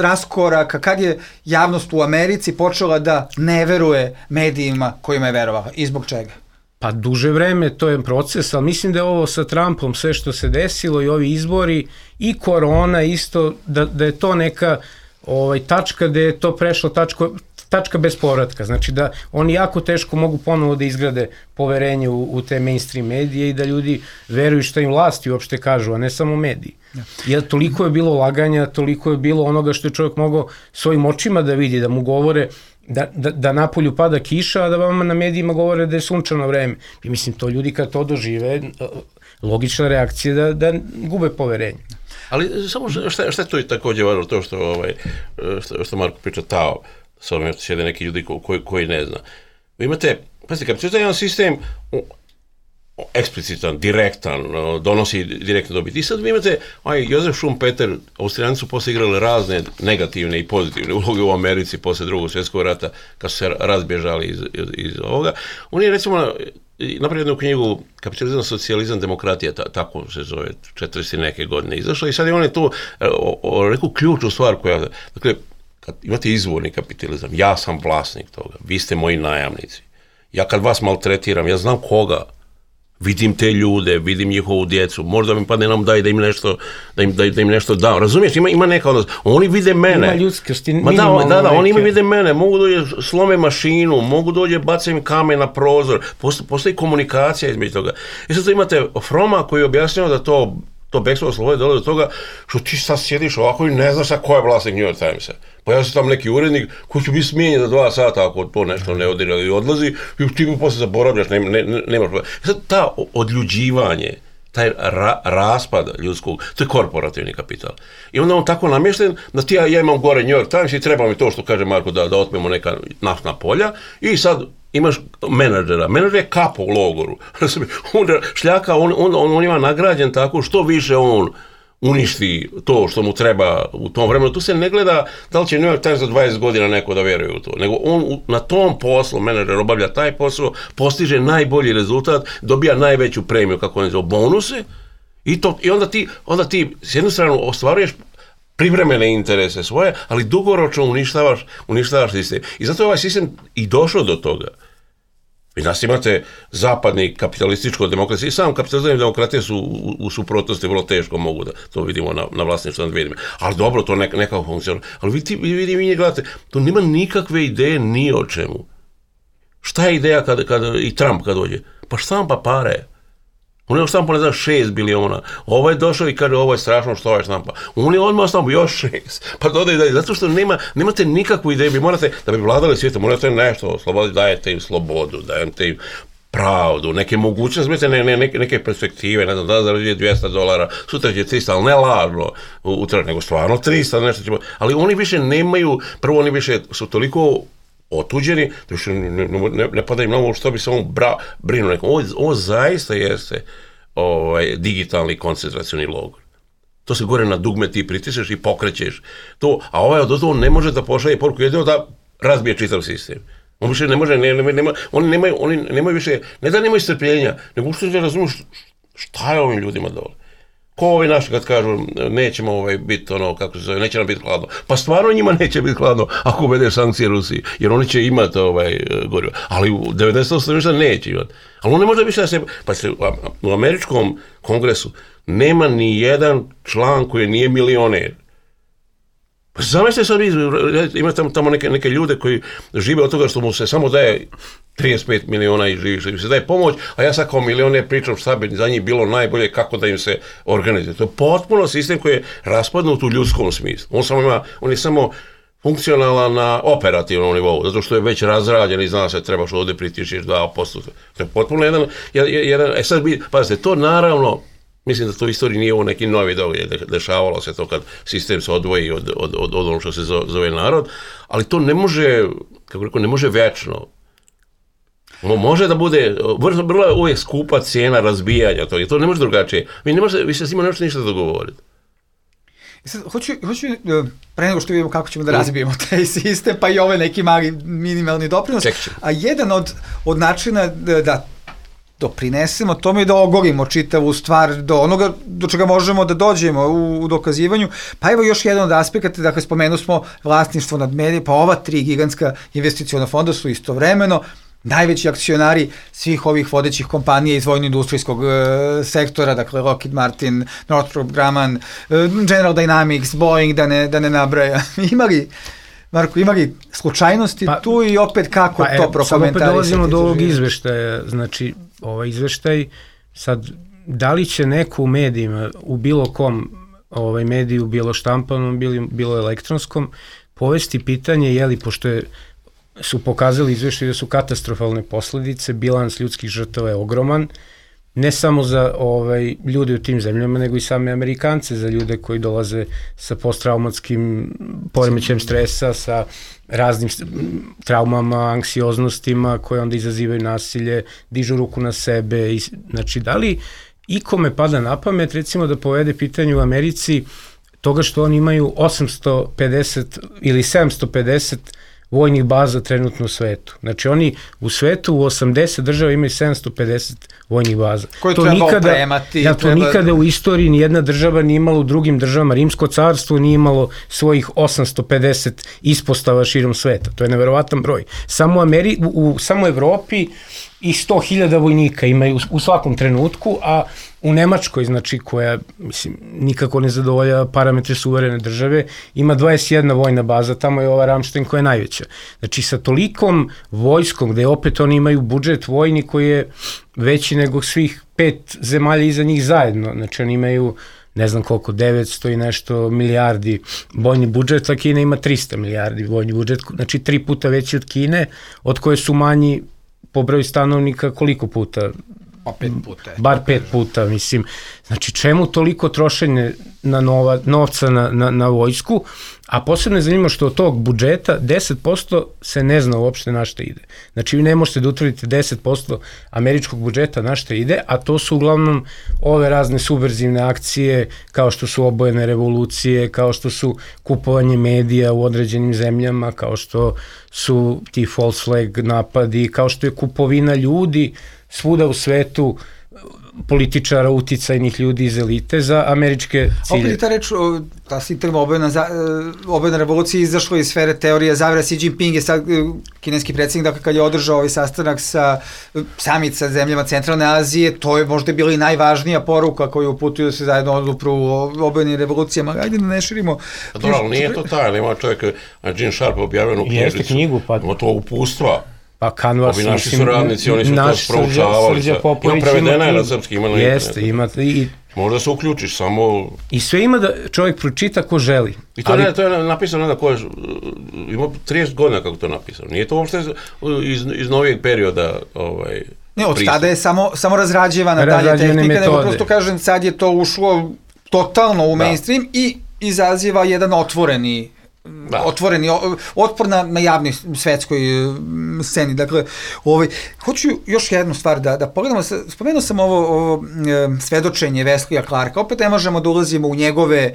raskoraka, kad je javnost u Americi počela da ne veruje medijima kojima je verovala i zbog čega? Pa duže vreme, to je proces, ali mislim da je ovo sa Trumpom sve što se desilo i ovi izbori i korona isto, da je to neka tačka gde je to prešlo tačka bez povratka, znači da oni jako teško mogu ponovo da izgrade poverenje u te mainstream medije i da ljudi veruju što im vlasti uopšte kažu, a ne samo mediji. Jer toliko je bilo laganja, toliko je bilo onoga što je čovjek mogao svojim očima da vidi, da mu govore da napolju pada kiša, a da vama na medijima govore da je sunčano vreme. I mislim, to ljudi kad to dožive, logična reakcija da gube poverenje. Ali samo šta je to i takođe važno, to što Marko priča Tao, sa ovim sjede neki ljudi koji ne zna. Vi imate, pazite, kad je jedan sistem eksplicitan, direktan, donosi direktno dobiti. I sad vi imate, Josef Schumpeter, Austrijanci su posle igrali razne negativne i pozitivne uloge u Americi posle Drugog svjetskog rata, kad su se razbježali iz ovoga. On je, recimo, napravio jednu knjigu Kapitalizam, socijalizam, demokratija, tako se zove, 40 neke godine izašla i sad je on je tu rekao ključnu stvar koja, dakle, kad imate izvorni kapitalizam, ja sam vlasnik toga, vi ste moji najamnici. Ja kad vas maltretiram, ja znam koga, vidim te ljude, vidim njihovu djecu, možda mi padne nam da im nešto dam. Razumiješ, ima neka odnos. Oni vide mene. Ima ljudskosti. Da, oni vide mene. Mogu dođe slome mašinu, mogu dođe bacim kamen na prozor. Postoji komunikacija između toga. I sad imate Froma koji je objasnio da to bekstvo slobode dolazi do toga što ti sad sjediš ovako i ne znaš ko je vlasnik New York Timesa. Pojavio se tamo neki urednik koji će biti smijenjen za 2 sata ako to nešto ne odira i odlazi i ti mu posle zaboravljaš, nemaš. Sad ta odljuđivanje, taj raspad ljudskog, to je korporativni kapital. I onda on tako namješten da ti ja imam gore New York Times i treba mi to što kaže Marko da otmemo neka naftna polja i sad imaš menadžera. Menadžer je kapo u logoru. Onda šljaka, on ima nagrađen tako što više on uništi to što mu treba u tom vremenu. Tu se ne gleda da li će New York Times za 20 godina neko da veruje u to, nego on na tom poslu, menadžer obavlja taj posao, postiže najbolji rezultat, dobija najveću premiju, kako on zove, bonuse i onda ti s jednu stranu ostvaruješ privremene interese svoje, ali dugoročno uništavaš sistem. I zato je ovaj sistem i došao do toga. Vi nas imate zapadni kapitalističko-demokracija i sam kapitalizam i demokratija su u suprotnosti, vrlo teško mogu da to vidimo na vlasništvu nad vidimo. Ali dobro, to nekako funkcionira. Ali vi gledate, to nema nikakve ideje ni o čemu. Šta je ideja i Trump kad dođe? Pa štampa pare. On je štampa, ne znam, 6 biliona. Ovo je došao i kaže, ovo je strašno što ovaj štampa. On je odmah štampa još 6. Pa dodaj dalje. Zato što nemate nikakvu ideju. Vi morate, da bi vladali svijetom, morate nešto osloboditi, dajete im slobodu, dajete im pravdu, neke mogućnosti, neke perspektive, ne znam, da zarađuje $200, sutra će 300, ali ne lažno utra, nego stvarno 300, nešto ćemo. Ali oni više nemaju, prvo oni više su toliko otuđeni, da više ne pada im na ovo što bi se on brinuo nekom. Ovo zaista jeste digitalni koncentracioni logor. To se gore na dugme ti pritisneš i pokrećeš to, a ovaj od toho ne može da pošalje poruku, jedino da razbije čitav sistem. On više ne može, oni nemaju više, ne da nemaju strpljenja, nego uopšte ne razumiju šta je ovim ljudima dole. Ko ovi naši kad kažu nećemo biti kako se zove, neće nam biti hladno. Pa stvarno njima neće biti hladno ako uvedeš sankcije Rusiji, jer oni će imati gorivo. Ali u 98% ništa neće imati. Ali on ne može više da se, pa u američkom kongresu nema ni jedan član koji nije milioner. Pa zamislite sad, ima tamo neke ljude koji žive od toga što mu se samo daje 35 miliona i živi se daje pomoć, a ja sad kao milioner pričam šta bi za njih bilo najbolje, kako da im se organizuje. To je potpuno sistem koji je raspadnut u ljudskom smislu. On je samo funkcionalan na operativnom nivou, zato što je već razrađen i zna se treba što ovdje pritišiš 2%. To je potpuno jedan sad pazite, to naravno, mislim da to u istoriji nije ovo neki novi događaj, dešavalo se to kad sistem se odvoji od ono što se zove narod, ali to ne može, kako rekao, ne može večno. Može da bude, vrlo je uvijek skupa cijena razbijanja toga, to ne može drugačije. Vi se s njima nećete ništa dogovoriti. Sad, hoću pre nego što vidimo kako ćemo da razbijemo taj sistem, pa i ove neki mali minimalni doprinos, a jedan od načina da doprinesemo tome i da ogolimo čitavu stvar do onoga do čega možemo da dođemo u dokazivanju. Pa evo još jedan od aspekata, dakle spomenuli smo vlasništvo nad medijima, pa ova 3 gigantska investiciona fonda su istovremeno najveći akcionari svih ovih vodećih kompanija iz vojno-industrijskog sektora, dakle Lockheed Martin, Northrop Grumman, General Dynamics, Boeing, da ne nabraja. Imali Marko, ima li slučajnosti tu i opet kako to prokomentarisati? Sad opet dolazimo do ovog izveštaja, znači ovaj izveštaj, sad da li će neko u medijima, u bilo kom mediju, bilo štampanom, bilo elektronskom, povesti pitanje, jeli, pošto su pokazali izveštaj da su katastrofalne posledice, bilans ljudskih žrtava je ogroman, ne samo za ljude u tim zemljama, nego i same Amerikance, za ljude koji dolaze sa posttraumatskim poremećajem stresa, sa raznim traumama, anksioznostima koje onda izazivaju nasilje, dižu ruku na sebe. Znači, da li ikome pada na pamet, recimo, da povede pitanje u Americi toga što oni imaju 850 ili 750 vojnih baza trenutno u svetu. Znači oni u svetu u 80 država imaju 750 vojnih baza. Koje treba opremati. To nikada u istoriji nijedna država nije imala u drugim državama. Rimsko carstvo nije imalo svojih 850 ispostava širom sveta. To je neverovatan broj. Samo u Evropi i 100.000 vojnika imaju u svakom trenutku, a u Nemačkoj, znači, koja, mislim, nikako ne zadovolja parametre suverene države, ima 21 vojna baza, tamo je ova Ramštajn koja je najveća. Znači, sa tolikom vojskom, gde opet oni imaju budžet vojni koji je veći nego svih 5 zemalja iza njih zajedno. Znači, oni imaju, ne znam koliko, 900 i nešto milijardi vojni budžet, a Kina ima 300 milijardi vojni budžet, znači 3 puta veći od Kine, od koje su manji po broju stanovnika koliko puta? Pa 5 puta. Bar 5 puta, mislim. Znači, čemu toliko trošenje novca na vojsku, a posebno je zanimljivo što od tog budžeta 10% se ne zna uopšte na šta ide. Znači, vi ne možete da utvrdite 10% američkog budžeta na šta ide, a to su uglavnom ove razne subverzivne akcije, kao što su obojene revolucije, kao što su kupovanje medija u određenim zemljama, kao što su ti false flag napadi, kao što je kupovina ljudi svuda u svetu, političara, uticajnih ljudi iz elite za američke cilje. Opet ta reč, ta sintagma obojena revolucija izašla iz sfere teorije zavere. Xi Jinping je sad kineski predsjednik, dakle kad je održao ovaj sastanak summit sa zemljama Centralne Azije, to je možda bila i najvažnija poruka koju uputuju se zajedno odupru u obojenim revolucijama. Ajde da ne širimo. Dobro, ali nije to tajno, ima čovjek, Gene Sharp objavljenu knjižicu, ima to upustva. Pa Canvas, ovi naši su radnici, oni su to sproučavali. Ima prevedena je na srpski, ima na internetu. Jeste, ima. Možda se uključiš, samo... I sve ima da čovjek pročita ko želi. I to je napisano da ko je... Ima 30 godina kako to napisano. Nije to uopšte iz novijeg perioda ne, od tada je samo razrađivana dalje tehnika, nego prosto kažem, sad je to ušlo totalno u mainstream i izaziva jedan otvoreni otpor na javnoj svetskoj sceni. Dakle, hoću još jednu stvar da pogledamo. Spomenuo sam ovo svedočenje Weslija Clarka. Opet ne možemo da ulazimo u njegove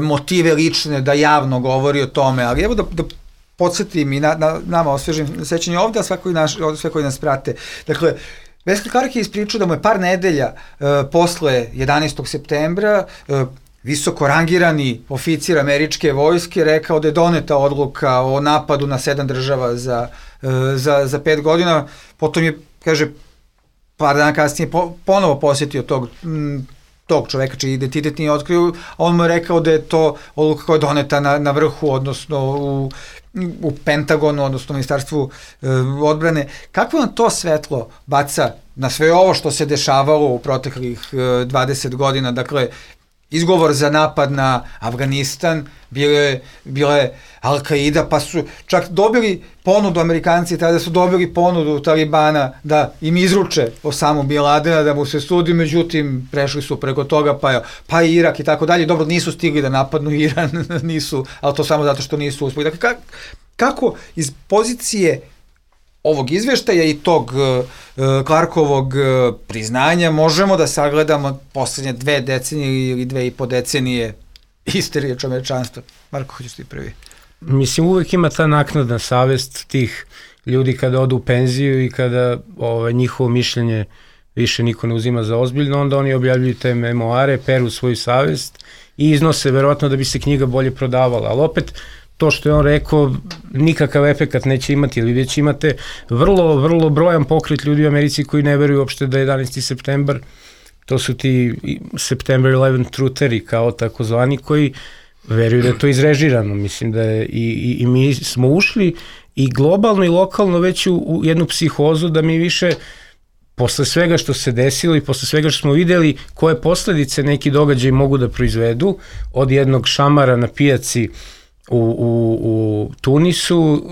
motive lične, da javno govori o tome, ali evo da podsjetim i nama osvežim sećanje ovde, a sve koji nas prate. Dakle, Wesley Clark je ispričao da mu je par nedelja posle 11. septembra visoko rangirani oficir američke vojske rekao da je doneta odluka o napadu na 7 država za 5 godina. Potom je, kaže, par dana kasnije ponovo posjetio tog čoveka čiji identitet nije otkrio, a on mu je rekao da je to odluka koja je doneta na vrhu, odnosno u Pentagonu, odnosno Ministarstvu odbrane. Kako nam to svetlo baca na sve ovo što se dešavalo u proteklih 20 godina? Dakle, izgovor za napad na Afganistan bile Al-Qaida, pa su čak dobili ponudu, Amerikanci tada su dobili ponudu Talibana da im izruče Osamu Bin Ladena, da mu se sudi, međutim prešli su preko toga, pa i Irak i tako dalje. Dobro, nisu stigli da napadnu Iran, nisu, ali to samo zato što nisu uspeli. Dakle, kako iz pozicije ovog izveštaja i tog Clarkovog priznanja možemo da sagledamo poslednje 2 decenije ili 2,5 decenije isterije čovečanstva? Marko, hoćeš ti prvi? Mislim, uvek ima ta naknadna savest tih ljudi kada odu u penziju i kada njihovo mišljenje više niko ne uzima za ozbiljno, onda oni objavljuju te memoare, peru svoju savest i iznose, verovatno da bi se knjiga bolje prodavala, ali opet to što je on rekao, nikakav efekat neće imati, ili već imate vrlo brojan pokret ljudi u Americi koji ne veruju uopšte da je 11. septembar, to su ti September 11 trutheri kao takozvani, koji veruju da je to izrežirano. Mislim da je i mi smo ušli i globalno i lokalno već u jednu psihozu da mi više posle svega što se desilo i posle svega što smo videli koje posledice neki događaj mogu da proizvedu, od jednog šamara na pijaci u Tunisu,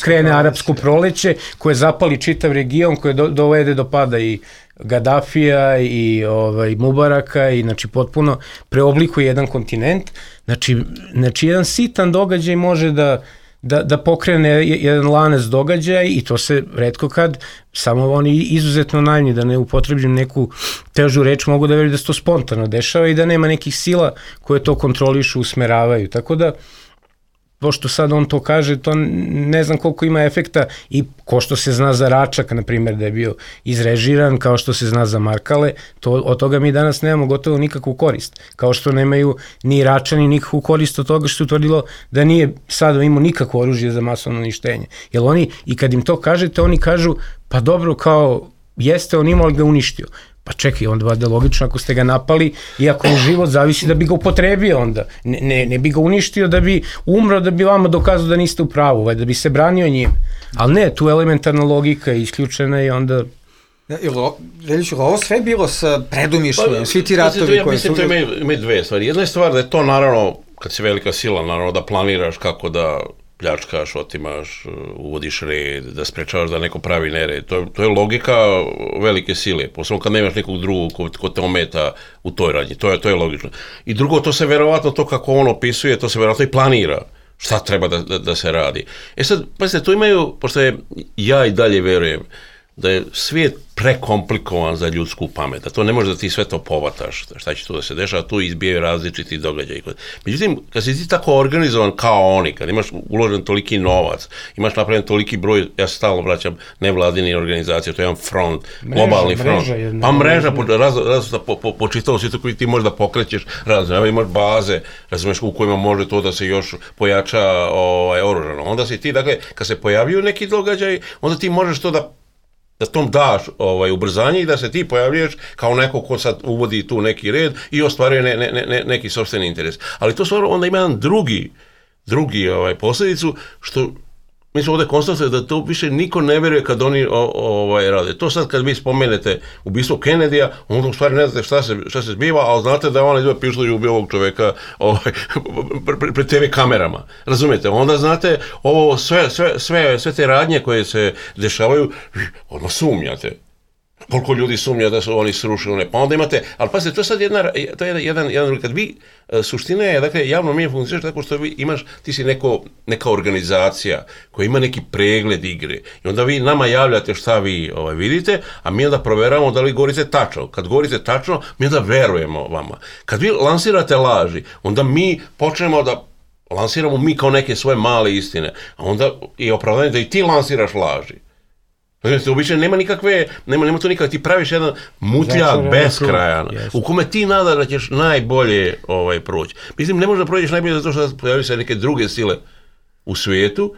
krene arapsko proleće koje zapali čitav region, koje dovede do pada i Gadafija i Mubaraka i znači potpuno preoblikuje jedan kontinent. Znači jedan sitan događaj može da pokrene jedan lanac događaja i to se retko kad, samo oni izuzetno naivni, da ne upotrebim neku težu reč, mogu da veruju da se to spontano dešava i da nema nekih sila koje to kontrolišu, usmeravaju. Tako da, pošto sad on to kaže, to ne znam koliko ima efekta i ko što se zna za Račak, na primjer, da je bio izrežiran, kao što se zna za Markale, od toga mi danas nemamo gotovo nikakvu korist. Kao što nemaju ni Račani nikakvu korist od toga što se utvrdilo da nije sada imao nikakvo oružje za masovno uništenje. Jer oni, i kad im to kažete, oni kažu, pa dobro, kao, jeste, on imao, ali ga uništio. Pa čekaj, onda vada logično ako ste ga napali i ako mu život zavisi da bi ga upotrebio onda. Ne bi ga uništio da bi umro, da bi vama dokazao da niste u pravu, da bi se branio njim. Ali ne, tu elementarna logika je isključena i onda... Veljiću, ovo sve bilo sa predumišljenjem, svi ti ratovi koji su... Mislim, to ima dve stvari. Jedna je stvar da je to naravno, kad si velika sila, naravno da planiraš kako da pljačkaš, otimaš, uvodiš red, da sprečavaš da neko pravi nered. To je logika velike sile, posebno kad nemaš nekog drugog ko te ometa u toj radnji. To je logično. I drugo, to se verovatno, to kako on opisuje, to se verovatno i planira. Šta treba da se radi. Sad, pazite, tu imaju, pošto ja i dalje verujem, da je svijet prekomplikovan za ljudsku pamet, da to ne može da ti sve to povataš, šta će tu da se dešava, tu izbijaju različiti događaji. Međutim, kad si ti tako organizovan kao oni, kad imaš uložen toliki novac, imaš napravljen toliki broj, ja se stalno vraćam, nevladini organizacije, to je jedan front, globalni front. Pa mreža, po čitavom svijetu koji ti možda pokrećeš, imaš baze, razumeš, u kojima može to da se još pojača oružano. Onda si ti, dakle, kad se pojavljuju neki događaj, onda ti možeš to da tom daš ubrzanje i da se ti pojavljuješ kao neko ko sad uvodi tu neki red i ostvaruje neki sopstveni interes. Ali to stvarno onda ima jedan drugi posljedicu, što mi smo ovdje konstatovali da to više niko ne veruje kad oni rade. To sad kad vi spomenete ubistvo Kennedyja, onda u stvari ne znate šta se zbiva, ali znate da je ona izbio pištolj i ubio ovog čoveka pred TV kamerama. Razumijete? Onda znate ovo sve te radnje koje se dešavaju, odmah sumnjate. Koliko ljudi sumnja da su oni srušili, pa onda imate, ali pazite, to je sad jedan kad vi, suština je, dakle, javno mi funkcioniraš tako što ti si neka organizacija koja ima neki pregled igre i onda vi nama javljate šta vi vidite, a mi onda proveravamo da li govorite tačno. Kad govorite tačno, mi onda verujemo vama. Kad vi lansirate laži, onda mi počnemo da lansiramo mi kao neke svoje male istine, a onda je opravdanje da i ti lansiraš laži. Obično nema to nikakve, ti praviš jedan mutljak beskrajan, u kome ti nada da ćeš najbolje proći. Mislim, ne možeš da prođeš najbolje zato što pojavljaju se neke druge sile u svijetu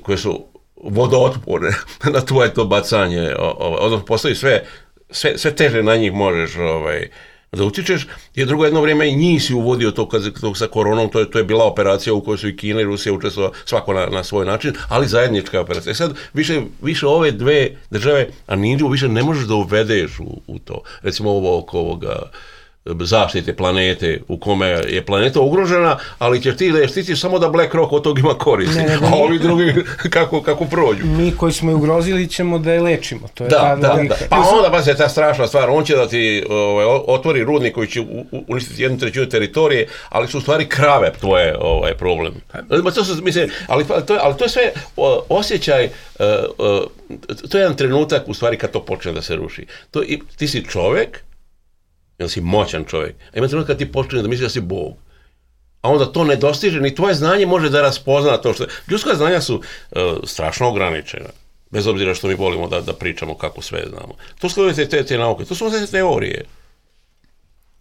koje su vodootporne na tvoje to bacanje, odnosno postoji sve teže na njih možeš da utičeš, jer drugo jedno vrijeme i njih si uvodio to sa koronom, to je bila operacija u kojoj su i Kina i Rusija učestvovali svako na svoj način, ali zajednička operacija. Sad više ove dve države, a Indiju više ne možeš da uvedeš u to. Recimo ovo oko ovoga zaštite planete, u kome je planeta ugrožena, ali ćeš ti da štitiš samo da BlackRock od toga ima koristi, a ovi drugi kako prođu. Mi koji smo je ugrozili ćemo da je lečimo. To je da. Pa onda pa se ta strašna stvar, on će da ti otvori rudnik koji će uništiti 1/3 teritorije, ali su u stvari krave tvoje problem. Ali to je sve osjećaj, to je jedan trenutak u stvari kad to počne da se ruši. Ti si čovjek, jer si moćan čovjek. A ima trenutak kad ti počne da misliš da si Bog. A onda to ne dostiže, ni tvoje znanje može da raspozna to što... Ljudska znanja su strašno ograničena. Bez obzira što mi volimo da pričamo kako sve znamo. To su te nauke, to su sve teorije.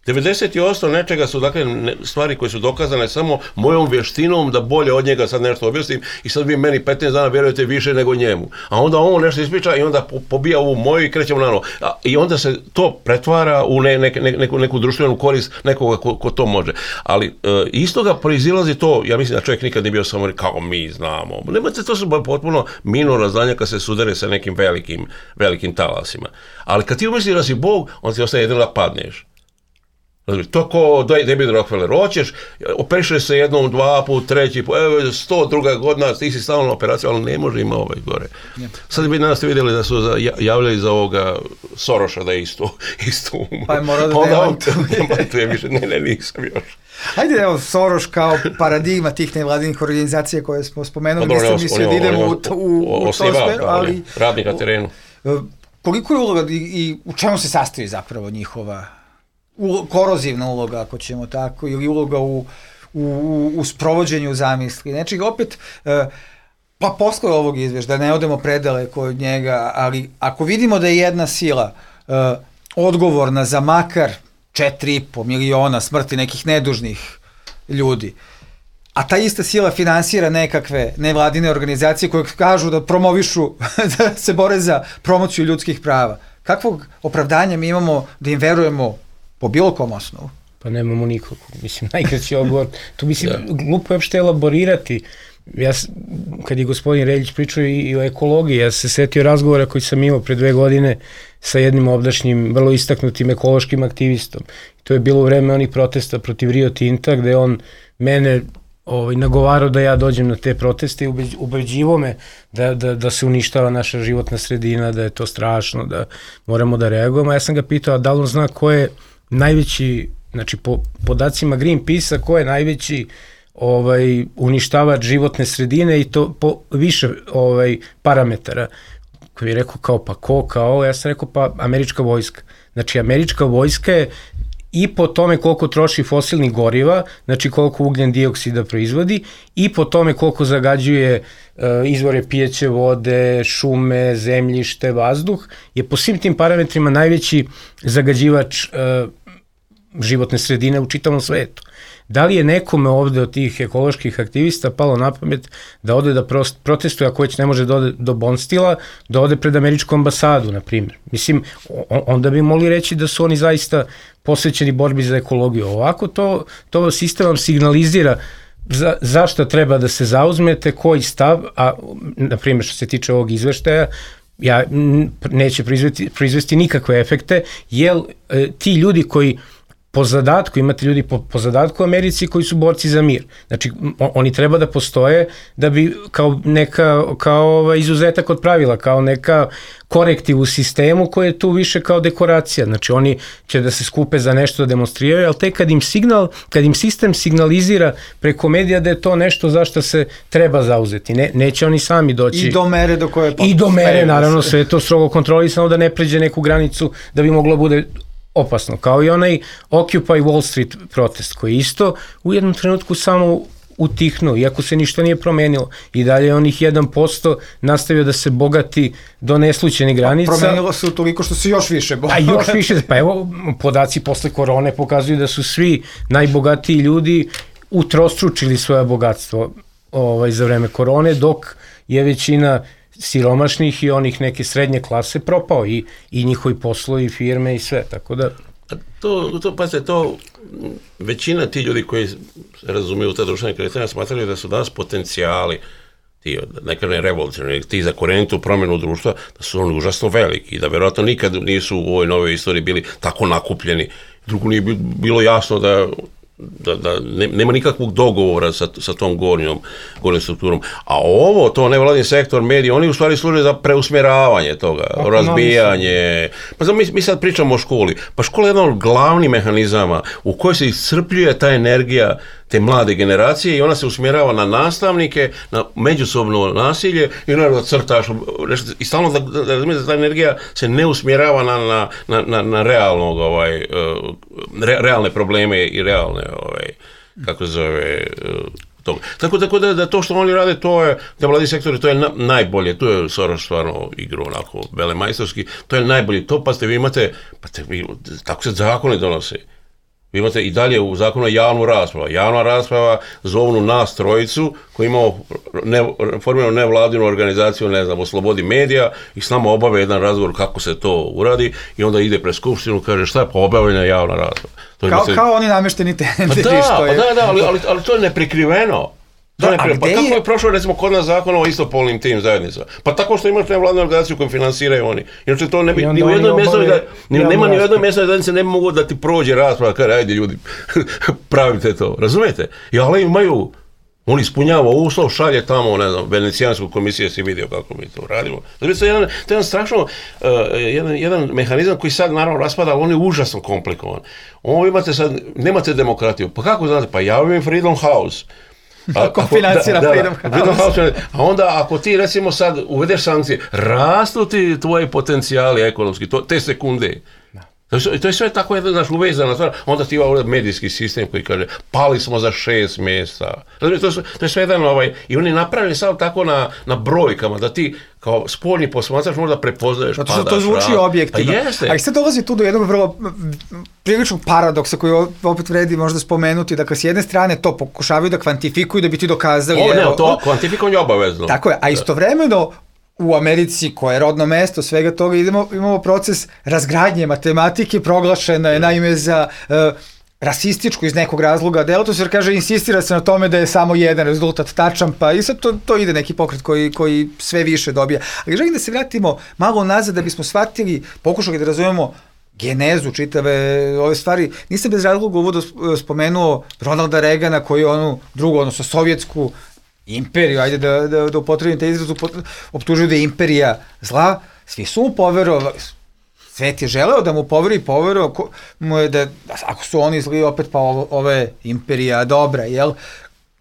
98% nečega su dakle stvari koje su dokazane samo mojom vještinom da bolje od njega sad nešto objasnim i sad vi meni 15 dana vjerujete više nego njemu. A onda on nešto ispriča i onda pobija ovu moju i krećemo na novo. I onda se to pretvara u neku društvenu korist nekoga ko to može. Ali iz toga proizilazi to, ja mislim da čovjek nikad nije bio samo kao mi znamo. Nemate, to su potpuno minorna znanja kad se sudare sa nekim velikim talasima. Ali kad ti umisliš da si Bog, onda ti ostaje jedino da padneš. To ko David Rockefeller, hoćeš, operišeš se jednom, 2 put, 3 put, 102. godina, ti si stalno na operaciju, ali ne može ima gore. Sad bi danas vidjeli da su javljali za ovoga Soroša da je isto umro. Pa je morao da demantuje više, ne, nisam još. Ajde, evo, Soros kao paradigma tih nevladinih organizacija koje smo spomenuli, nisam mislio da idemo u to sferu, ali... Radnik na terenu. Koliko je uloga i u čemu se sastoji zapravo njihova korozivna uloga, ako ćemo tako, ili uloga u sprovođenju zamisli. Znači, opet, pa posle ovog izvještaja, da ne odemo predaleko od njega, ali ako vidimo da je jedna sila odgovorna za makar 4,5 miliona smrti nekih nedužnih ljudi, a ta ista sila finansira nekakve nevladine organizacije koje kažu da promovišu, da se bore za promociju ljudskih prava, kakvog opravdanja mi imamo da im verujemo po bilo kom osnovu? Pa nemamo nikog. Mislim, najkraći odgovor. To mislim, glupo je uopšte elaborirati. Kad je gospodin Reljić pričao i o ekologiji, ja se setio razgovora koji sam imao pre 2 godine sa jednim ovdašnjim, vrlo istaknutim ekološkim aktivistom. To je bilo u vreme onih protesta protiv Rio Tinta, gde on mene nagovarao da ja dođem na te proteste i ubeđivo me da se uništava naša životna sredina, da je to strašno, da moramo da reagujemo. Ja sam ga pitao, a da li on zna ko je najveći, znači po podacima Greenpeace-a, ko je najveći uništavač životne sredine i to po više parametara. Koji je rekao kao pa ko, kao, ja sam rekao pa američka vojska. Znači američka vojska je i po tome koliko troši fosilnih goriva, znači koliko ugljen dioksida proizvodi, i po tome koliko zagađuje izvore pijeće vode, šume, zemljište, vazduh, je po svim tim parametrima najveći zagađivač životne sredine u čitavom svetu. Da li je nekome ovde od tih ekoloških aktivista palo na pamet da ode da protestuje, ako već ne može da ode do Bonstila, da ode pred američku ambasadu, na primjer? Mislim, onda bi mogli reći da su oni zaista posvećeni borbi za ekologiju. Ovako to sistem vam signalizira zašto treba da se zauzmete, koji stav, a na primjer što se tiče ovog izveštaja, neće proizvesti nikakve efekte, jer ti ljudi koji po zadatku, imate ljudi po zadatku u Americi koji su borci za mir. Znači, oni treba da postoje da bi kao izuzetak od pravila, kao neka korektiv u sistemu koji je tu više kao dekoracija. Znači, oni će da se skupe za nešto da demonstriraju, ali tek kad im sistem signalizira preko medija da je to nešto za što se treba zauzeti. Neće oni sami doći. I do mere do koje... I do mere, naravno, sve je to strogo kontrolisano da ne pređe neku granicu da bi moglo bude opasno, kao i onaj Occupy Wall Street protest, koji isto u jednom trenutku samo utihnuo, iako se ništa nije promenilo. I dalje onih 1% nastavio da se bogati do neslućenih granica. Promenilo se toliko što se još više bogati. A još više, pa evo, podaci posle korone pokazuju da su svi najbogatiji ljudi utrostručili svoje bogatstvo za vreme korone, dok je većina siromašnih i onih neke srednje klase propao i njihovi poslovi, firme i sve, tako da... To većina ti ljudi koji razumiju te društvene kretanja smatrali da su danas potencijali ti, nekada revolucionarni, ti za korenitu promjenu društva, da su oni užasno veliki i da verovatno nikad nisu u ovoj novoj istoriji bili tako nakupljeni. Drugo nije bilo jasno da nema nikakvog dogovora sa tom gornjom strukturom. A to nevladin sektor, mediji, oni u stvari služe za preusmjeravanje toga, razbijanje. Pa mi sad pričamo o školi. Pa škola je jedan od glavnih mehanizama u kojoj se iscrpljuje ta energija te mlade generacije i ona se usmjerava na nastavnike, na međusobno nasilje i naravno crtaš i stalno da ta energija se ne usmjerava na realne probleme i realne kako se zove toga. Tako da to što oni rade, to je, da mladi sektori, to je najbolje, tu je Soros stvarno igrao onako velemajstorski, to je najbolje, to pa ste vi imate, tako se zakone donose. Vi imate i dalje u zakonu javnu raspravu. Javna rasprava zovnu nas trojicu koji imamo formiranu nevladinu organizaciju, ne znam, o slobodi medija i s nama obave jedan razgovor kako se to uradi i onda ide pred skupštinu, kaže šta je pa obavljena javna rasprava. Kao oni namešteni tenderi. Ali to je neprikriveno. Kako je prošlo recimo kod nas zakon o istopolnim tim zajednicama? Pa tako što imaš nevladnu organizaciju koju finansiraju oni. Inače to ne bi, ni u jednoj mjesnoj zajednici ne bi mogu da ti prođe rasprava, kaže ajde ljudi, pravite to, razumijete? Ali imaju, on ispunjava uslov, šalje tamo, ne znam, Venecijansku komisiju, si vidio kako mi to radimo. Znači, to je jedan strašno, jedan mehanizam koji sad naravno raspada, ali on je užasno komplikovan. Ovo imate sad, nemate demokratiju, pa kako znate? Pa javim Freedom House. Ako financira Freedom House. A onda ako ti recimo sad uvedeš sankcije, rastu ti tvoji potencijali ekonomski, te sekunde. To je sve tako jedna uvezana stvar. Onda ti ima medijski sistem koji kaže pali smo za 6 mjesta. To je sve jedan i oni napravili sad tako na brojkama da ti kao spoljni posmatrač možda prepoznaješ padaš. Zato što to zvuči objektivno. A sad dolazi tu do jednog vrlo priličnog paradoksa koji opet vredi možda spomenuti, da s jedne strane to pokušavaju da kvantifikuju da bi ti dokazali. To kvantifikovanje je obavezno. Tako je, a istovremeno u Americi, koja je rodno mesto svega toga, imamo proces razgradnje matematike, proglašena je naime za rasističku iz nekog razloga delatnost, jer kaže, insistira se na tome da je samo jedan rezultat tačan, pa i sad to ide neki pokret koji sve više dobija. Ali želim da se vratimo malo nazad da bismo shvatili, pokušali da razumemo genezu čitave ove stvari. Nisam bez razloga uvodu spomenuo Ronalda Reagana koji je onu drugu, odnosno sovjetsku imperiju, ajde da upotrebim te izrazu, optužuju da je imperija zla, svi su mu poverovali, svet je želeo da mu poverovao mu je da ako su oni zli opet pa ova je imperija dobra, jel?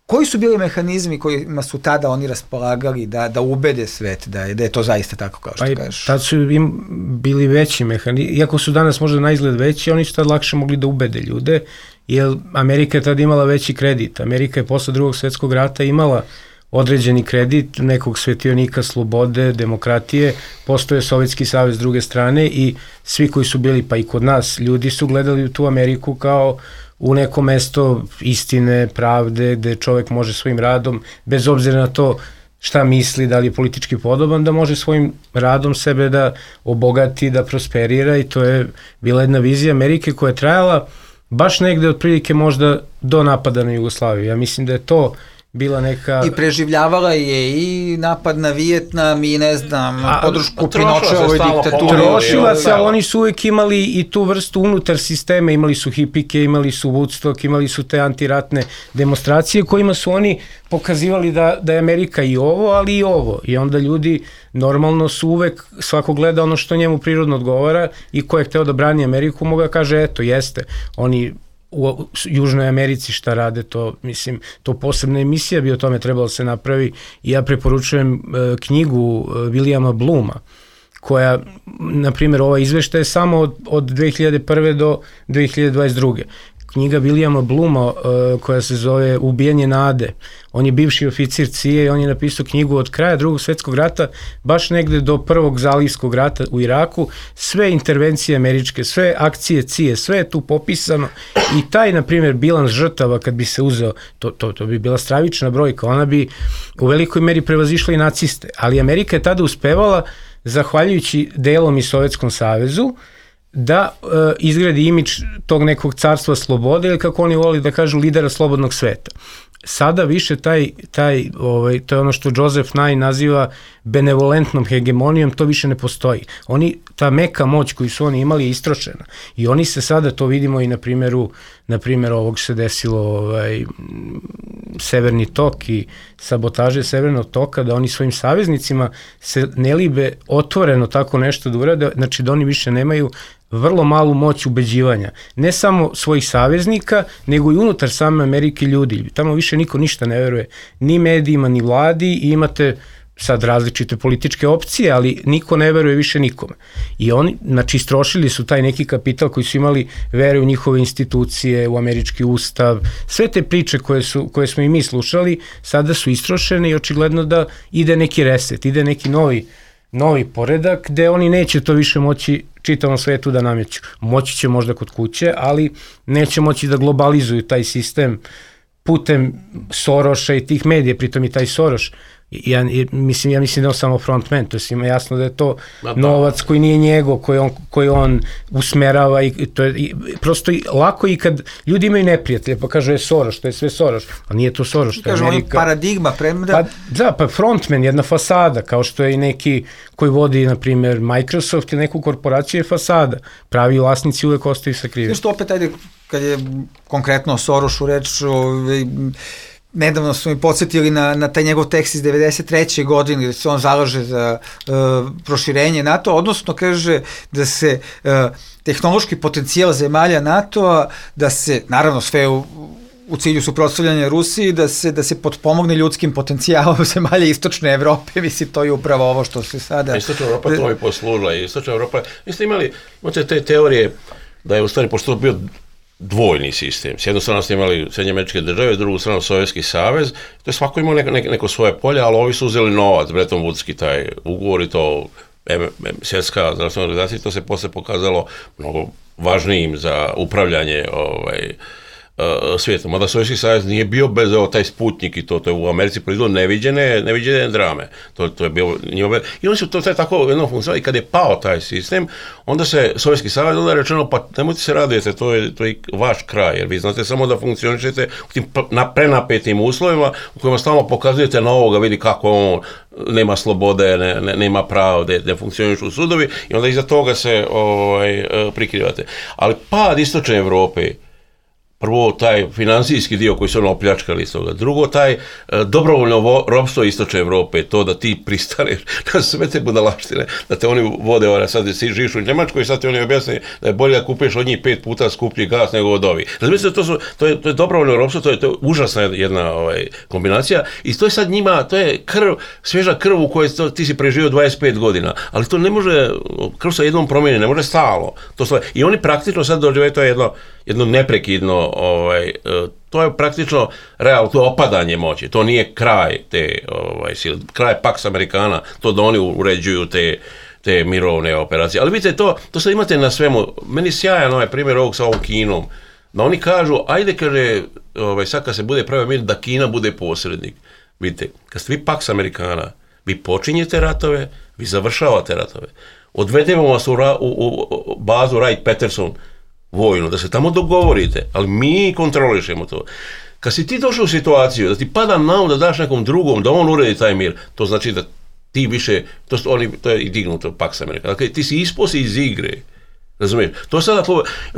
Koji su bili mehanizmi kojima su tada oni raspolagali da ubede svet, da je to zaista tako kao što kažeš? Tad su im bili veći mehanizmi, iako su danas možda na izgled veći, oni su tad lakše mogli da ubede ljude, jer Amerika je tada imala veći kredit. Amerika je posle Drugog svjetskog rata imala određeni kredit nekog svetionika slobode, demokratije, postoje Sovjetski savez s druge strane i svi koji su bili, pa i kod nas, ljudi su gledali u tu Ameriku kao u neko mesto istine, pravde, gde čovjek može svojim radom, bez obzira na to šta misli, da li je politički podoban, da može svojim radom sebe da obogati, da prosperira i to je bila jedna vizija Amerike koja je trajala baš negde otprilike možda do napada na Jugoslaviju. Ja mislim da je to bila neka... I preživljavala je i napad na Vijetnam i ne znam, podršku Pinočeovoj diktaturi. Trošila se, ali oni su uvijek imali i tu vrstu unutar sistema, imali su hipike, imali su Woodstock, imali su te antiratne demonstracije kojima su oni pokazivali da je Amerika i ovo, ali i ovo. I onda ljudi normalno su uvek, svako gleda ono što njemu prirodno odgovara i ko je hteo da brani Ameriku, moga kaže, eto, jeste, oni u Južnoj Americi šta rade, to mislim, to posebna emisija bi o tome trebalo se napravi i ja preporučujem knjigu Williama Blooma, koja, na primjer, ova izvešta je samo od 2001. do 2022. Knjiga Williama Blooma koja se zove Ubijanje nade. On je bivši oficir CIA i on je napisao knjigu od kraja Drugog svjetskog rata, baš negde do Prvog zalivskog rata u Iraku, sve intervencije američke, sve akcije CIA, sve je tu popisano i taj, na primjer, bilans žrtava kad bi se uzeo, to bi bila stravična brojka, ona bi u velikoj meri prevazišla i naciste, ali Amerika je tada uspevala, zahvaljujući delom i Sovjetskom savezu, da izgradi imidž tog nekog carstva slobode ili kako oni voli da kažu lidera slobodnog sveta. Sada više to je ono što Joseph Nye naziva benevolentnom hegemonijom, to više ne postoji. Ta meka moć koju su oni imali je istrošena i oni se sada, to vidimo i na primjeru ovog se desilo Severni tok i sabotaže Severnog toka, da oni svojim saveznicima se ne libe otvoreno tako nešto da urade, znači da oni više nemaju vrlo malu moć ubeđivanja. Ne samo svojih saveznika, nego i unutar same Amerike ljudi. Tamo više niko ništa ne veruje. Ni medijima, ni vladi i imate sad različite političke opcije, ali niko ne veruje više nikome. I oni, znači, istrošili su taj neki kapital koji su imali vere u njihove institucije, u američki ustav, sve te priče koje smo i mi slušali, sada su istrošene i očigledno da ide neki reset, ide neki novi poredak gde oni neće to više moći čitavom svetu da nameću. Moći će možda kod kuće, ali neće moći da globalizuju taj sistem putem Soroša i tih medija, pritom i taj Soroš. Ja mislim da je samo frontman, to je svima jasno da je to novac koji nije njegov, koji on usmerava i to je prosto lako i kad ljudi imaju neprijatelje pa kažu je Soroš, to je sve Soroš, a nije to Soroš, to je Amerika. Paradigma premda. Pa frontman, jedna fasada, kao što je i neki koji vodi, na primjer, Microsoft ili neku korporaciju je fasada, pravi vlasnici uvek ostaju sakriveni. Što opet, ajde, kad je konkretno o Sorošu reč, nedavno su mi podsjetili na taj njegov tekst iz 93. godine gde se on zalaže za proširenje NATO, odnosno kaže da se tehnološki potencijal zemalja NATO-a, da se, naravno sve u cilju suprotstavljanja Rusiji, da se potpomogne ljudskim potencijalom zemalja Istočne Evrope, mislim, to je upravo ovo što se sada... Istočna Evropa to je poslužila. Istočna Evropa, vi ste imate te teorije da je u stvari, pošto to bio dvojni sistem. S jednu stranu ste imali Sjedinjene Američke Države, s drugu stranu Sovjetski savez, to je svako imao neko svoje polje, ali ovi su uzeli novac, Bretton Woodski taj ugovor i to svjetska zdravstvena organizacija, to se posle pokazalo mnogo važnijim za upravljanje svijetom. Mada Sovjetski savez nije bio bez taj Sputnik i to je u Americi proizvod neviđene drame. To je bio njima. I oni su to tako jedno funkcionali. I kad je pao taj sistem, onda se Sovjetski savez onda je rečeno, pa nemojte se radujete, to je vaš kraj, jer vi znate samo da funkcionišete u tim prenapetim uslovima u kojima stalno pokazujete na ovoga, vidi kako on nema slobode, nema pravo, ne funkcionišu sudovi i onda iza toga se prikrivate. Ali pad Istočne Evrope, prvo, taj finansijski dio koji su ono opljačkali iz toga. Drugo, taj dobrovoljno ropstvo Istočne Evrope, to da ti pristaneš na sve te budalaštine, da te oni vode, sad si živiš u Njemačkoj i sad ti oni objasne da je bolje da kupeš od njih 5 puta skuplji gas nego od ovih. Razumijete, to je dobrovoljno ropstvo, to je užasna jedna kombinacija i to je sad njima, to je svježa krv u kojoj ti si preživio 25 godina, ali to ne može, krv sa jednom promjeni, ne može stalo. I oni praktično sad doživaju, to je jedno neprekidno, to je praktično realno, to je opadanje moći, to nije kraj te sile, kraj Pax Americana, to da oni uređuju te mirovne operacije. Ali vidite, to sad imate na svemu, meni sjajan primjer ovog sa ovom Kinom, da oni kažu, ajde, kaže, sad kad se bude pravio mir, da Kina bude posrednik. Vidite, kad ste vi Pax Americana, vi počinjete ratove, vi završavate ratove. Odvedemo vas u bazu Wright-Patterson vojnu, da se tamo dogovorite, ali mi kontrolišemo to. Kad si ti došao u situaciju da ti pada na um da daš nekom drugom, da on uredi taj mir, to znači da ti više, to je i dignuto Pax America, dakle ti si isposi iz igre, razumiješ?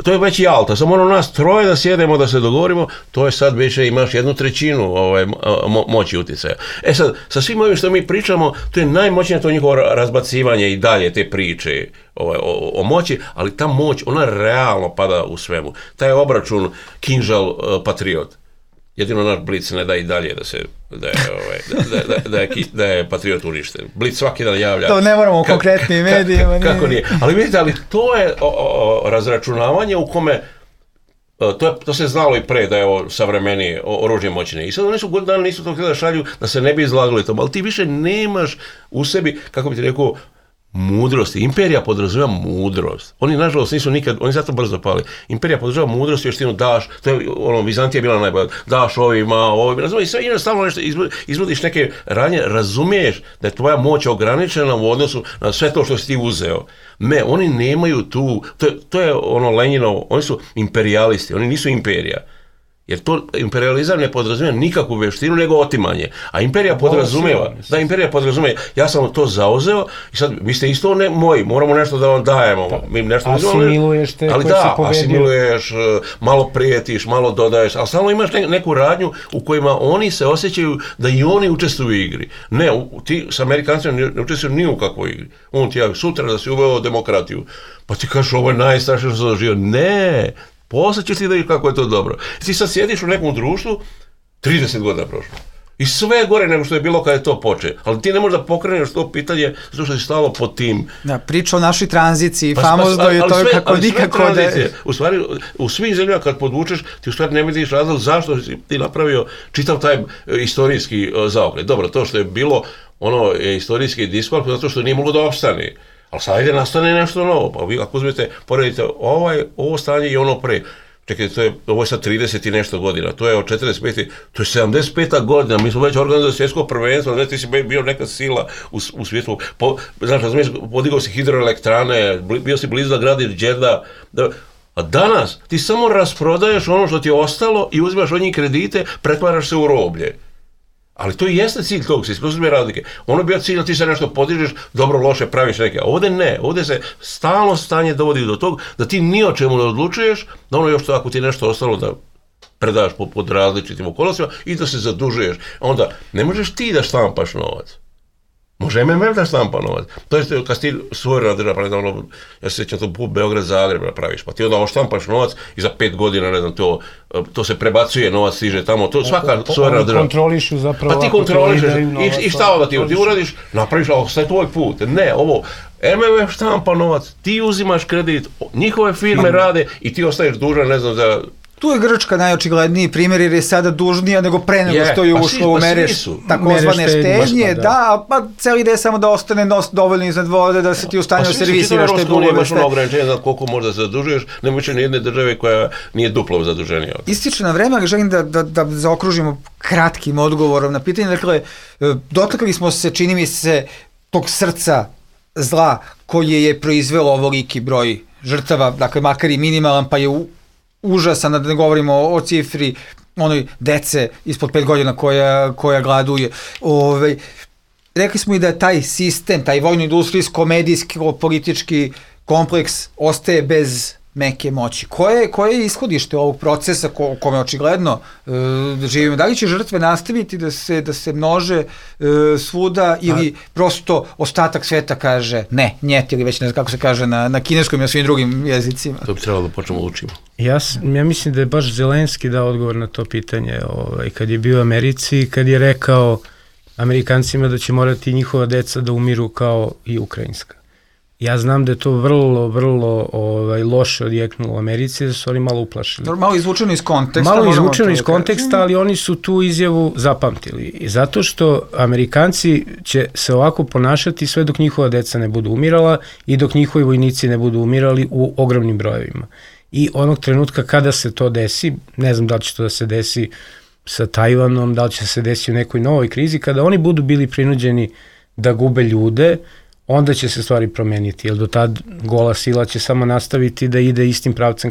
To je već i alta, samo nas troje da sjedemo, da se dogovorimo, to je sad više imaš 1/3 moći utjecaja. Sad, sa svim ovim što mi pričamo, to je najmoćnije to njihovo razbacivanje i dalje te priče o moći, ali ta moć, ona realno pada u svemu. Taj obračun kinžal patriot. Jedino naš Blic ne da i dalje da je patriot uništen. Blic svaki dan javlja. To ne moramo u konkretnim medijima. Kako nije. Ali vidite, to je razračunavanje u kome to se znalo i pre da je savremenije oružje moćne. I sad oni su godinu dana nisu to htjeli da šalju da se ne bi izlagali tomu, ali ti više nemaš u sebi, kako bi ti rekao, mudrosti. Imperija podrazumijeva mudrost. Oni, nažalost, nisu nikad, oni zato brzo pali. Imperija podrazumijeva mudrost i još ti daš, to je, Vizantija je bila najbolja, daš ovima, razumiješ, sve ino stalno nešto izvodiš neke radnje, razumiješ da je tvoja moć ograničena u odnosu na sve to što si ti uzeo. Ne, oni nemaju tu, to je Lenjinovo, oni su imperijalisti, oni nisu imperija. Jer to imperializam ne podrazumijeva nikakvu veštinu, nego otimanje. A imperija podrazumijeva, ja sam to zauzeo i sad vi ste isto moji, moramo nešto da vam dajemo. Asimiluješ te koji si pobedio. Asimiluješ, malo prijetiš, malo dodaješ, ali stalno imaš neku radnju u kojima oni se osjećaju da i oni učestvuju u igri. Ne, ti s Amerikancima ne učestvuju ni u kakvoj igri. On ti javi sutra da si uveo demokratiju, pa ti kažeš ovo je najstrašnije što sam doživio. Ne, posle ćeš ti da vidiš kako je to dobro. Ti sad sjediš u nekom društvu, 30 godina prošlo. I sve je gore nego što je bilo kada je to počeo. Ali ti ne možeš da pokreneš to pitanje zato što si stalo pod tim. Da, priča o našoj tranziciji, famozno je to kako nikako da... U stvari, u svih zemljama kad podvučeš, ti u stvari ne vidiš razlog zašto si ti napravio čitav taj istorijski zaokret. Dobro, to što je bilo ono je istorijski diskvalifikovan zato što nije moglo da opstane. Ali sad ide nastane nešto novo, pa vi ako uzmete, poredite ovo stanje i ono pre. Čekajte, ovo je sad 30 i nešto godina, to je od 45. To je 75. godina, mi smo već organizovali svjetsko prvenstvo, znači ti si bio neka sila u svijetu, znaš, razumiješ, podigao si hidroelektrane, bio si blizu da gradiš Đerda, a danas ti samo rasprodaješ ono što ti je ostalo i uzimaš od njih kredite, pretvaraš se u roblje. Ali to i jeste cilj tog sistema razlike. Ono je bio cilj da ti se nešto podižeš, dobro, loše, praviš neke. A ovdje ne. Ovdje se stalno stanje dovodi do tog da ti ni o čemu ne odlučuješ, da ono još to ako ti nešto ostalo da predaš pod različitim okolnostima i da se zadužuješ. Onda ne možeš ti da štampaš novac. Može MMF da štampa novac. To je kad ti suverena država, ono, ja se sjećam to put Beograd-Zagreb napraviš, pa ti onda oštampaš novac i za 5 godina, ne znam, to se prebacuje, novac stiže tamo, to svaka suverena država. Oni kontrolišu zapravo. Pa ti kontrolišeš i šta onda ti uradiš, napraviš, ali sve tvoj put. Ne, ovo, MMF štampa novac, ti uzimaš kredit, njihove firme rade i ti ostaješ dužan, ne znam, za... Tu je Grčka najočigledniji primjer jer je sada dužnija nego pre nego što je ušlo u mere takozvane štednje, da, pa cijeli ide samo da ostane dovoljno iznad vode, da se ti u stanju servisiraš te dugove. Imaš ono ograničenje za koliko možda se zadužuješ, nema više nijedne države koja nije duplo zaduženija. Ističe na vreme, ali želim da zaokružimo kratkim odgovorom na pitanje. Dakle, dotakli smo se, čini mi se, tog srca zla koje je proizvelo ovoliki broj žrtava, dakle makar i minimalan, pa je užasan, da ne govorimo o cifri onoj dece ispod 5 godina koja gladuje. Rekli smo i da taj sistem, taj vojno-industrijsko-medijsko-politički kompleks ostaje bez meke moći. Koje je ishodište ovog procesa kome očigledno živimo? Da li će žrtve nastaviti da se množe svuda ili prosto ostatak sveta kaže ne, njet ili već ne znam kako se kaže na kineskom i na svim drugim jezicima? To bi trebalo da počnemo učimo. Ja mislim da je baš Zelenski dao odgovor na to pitanje kad je bio u Americi, kad je rekao Amerikancima da će morati njihova deca da umiru kao i ukrajinska. Ja znam da je to vrlo loše odjeknulo u Americi, da su oni malo uplašili. Malo izvučeno iz konteksta. Ali oni su tu izjavu zapamtili. I zato što Amerikanci će se ovako ponašati sve dok njihova deca ne budu umirala i dok njihovi vojnici ne budu umirali u ogromnim brojevima. I onog trenutka kada se to desi, ne znam da li će to da se desi sa Tajvanom, da li će se desiti u nekoj novoj krizi, kada oni budu bili prinuđeni da gube ljude, onda će se stvari promeniti, jer do tad gola sila će samo nastaviti da ide istim pravcem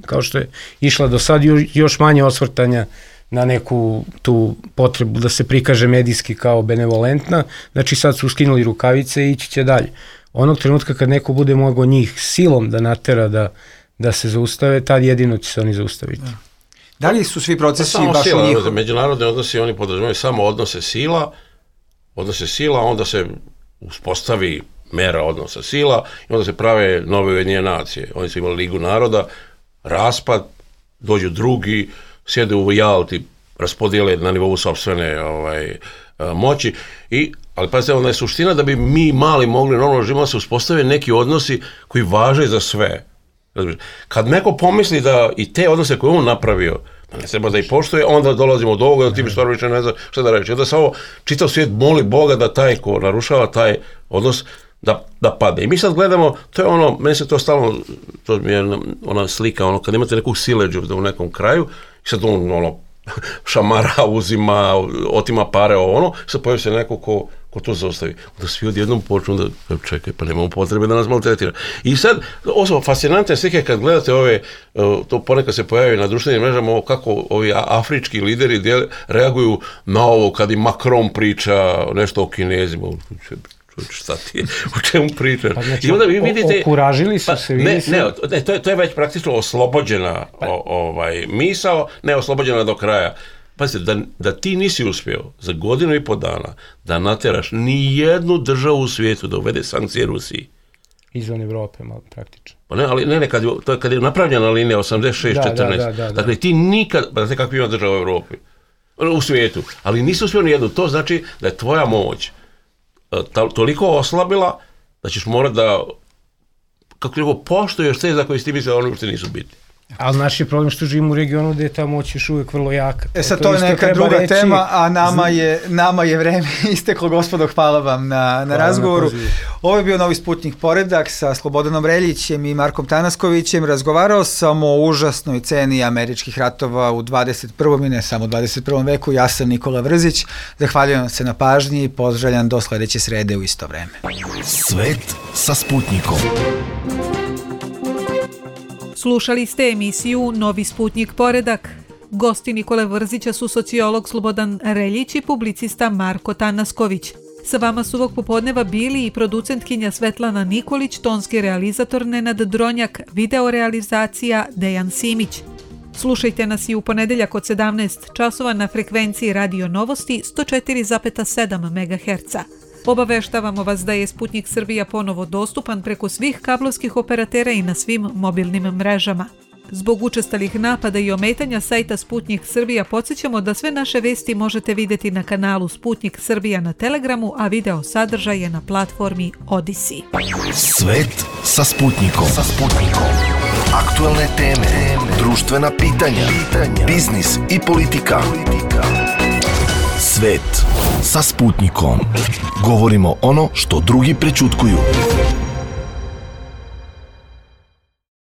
kao što je išla do sad, još manje osvrtanja na neku tu potrebu da se prikaže medijski kao benevolentna, znači sad su skinuli rukavice i ići će dalje. Onog trenutka kad neko bude mogao njih silom da natera da se zaustave, tad jedino će se oni zaustaviti. Da li su svi procesi baš u njih? Međunarodni odnosi, oni podrazumijevaju samo odnose sila, onda se uspostavi mera odnosa sila i onda se prave nove Ujedinjene nacije. Oni su imali Ligu naroda, raspad, dođu drugi, sjede u Jalti, raspodijele na nivou sopstvene moći, ali pazite, onda je suština da bi mi mali mogli normalno živimo se uspostave neki odnosi koji važe za sve. Kad neko pomisli da i te odnose koje on napravio, ne treba da ih poštuje, onda dolazimo do ovoga, da ti bi stvarno više ne zna šta da reći. Onda samo čitav svijet moli Boga da taj ko narušava taj odnos da padne. I mi sad gledamo, to je ono, meni se to stalno, to mi je ona slika, kad imate nekog sileđu u nekom kraju, i sad on šamara, uzima, otima pare, sad pojavi se neko ko to zaustavi. Onda svi odjednom počnu da čekaj, pa nemamo potrebe da nas maltretira. I sad, ovo fascinantne slike kad gledate to ponekad se pojavi na društvenim mrežama, kako ovi afrički lideri reaguju na ovo kad i Macron priča nešto o Kinezima. Šta ti je, o čemu pričaš? Pa znači, i onda vi vidite, okuražili su se. Ne, to je već praktično oslobođena misao, ne oslobođena do kraja. Pazite, da ti nisi uspio za 1.5 godina da nateraš ni jednu državu u svijetu da uvede sankcije Rusiji. Izvan Evrope, malo praktično. Pa ne, ali kad je napravljena linija 86-14, dakle ti nikad, pa znate kako ima država u Evropi, u svijetu, ali nisi uspio ni jednu, to znači da je tvoja moć toliko oslabila da ćeš morati da, kako poštuješ te za koje si ti misle da oni uopšte nisu bitni. Ali naš je problem što živimo u regionu gde je ta moć još uvek vrlo jaka. Sad to je neka druga tema, a nama je vreme isteklo, gospodo, hvala vam na razgovoru. Ovo je bio Novi Sputnik Poredak sa Slobodanom Reljićem i Markom Tanaskovićem. Razgovarao sam o užasnoj ceni američkih ratova u 21. i ne samo u 21. veku. Ja sam Nikola Vrzić. Zahvaljujem se na pažnji i pozdravljam do sledeće srede u isto vreme. Svet sa Sputnikom. Slušali ste emisiju Novi Sputnik Poredak. Gosti Nikole Vrzića su sociolog Slobodan Reljić i publicista Marko Tanasković. Sa vama su ovog popodneva bili i producentkinja Svetlana Nikolić, tonski realizator Nenad Dronjak, videorealizacija Dejan Simić. Slušajte nas i u ponedeljak od 17 časova na frekvenciji Radio Novosti 104,7 MHz. Obaveštavamo vas da je Sputnik Srbija ponovo dostupan preko svih kablovskih operatera i na svim mobilnim mrežama. Zbog učestalih napada i ometanja sajta Sputnik Srbija podsjećamo da sve naše vesti možete vidjeti na kanalu Sputnik Srbija na Telegramu, a video sadržaj je na platformi Odyssey. Svet sa Sputnikom. Aktualne teme, društvena pitanja, biznis i politika. Svet sa Sputnikom. Govorimo ono što drugi prećutkuju.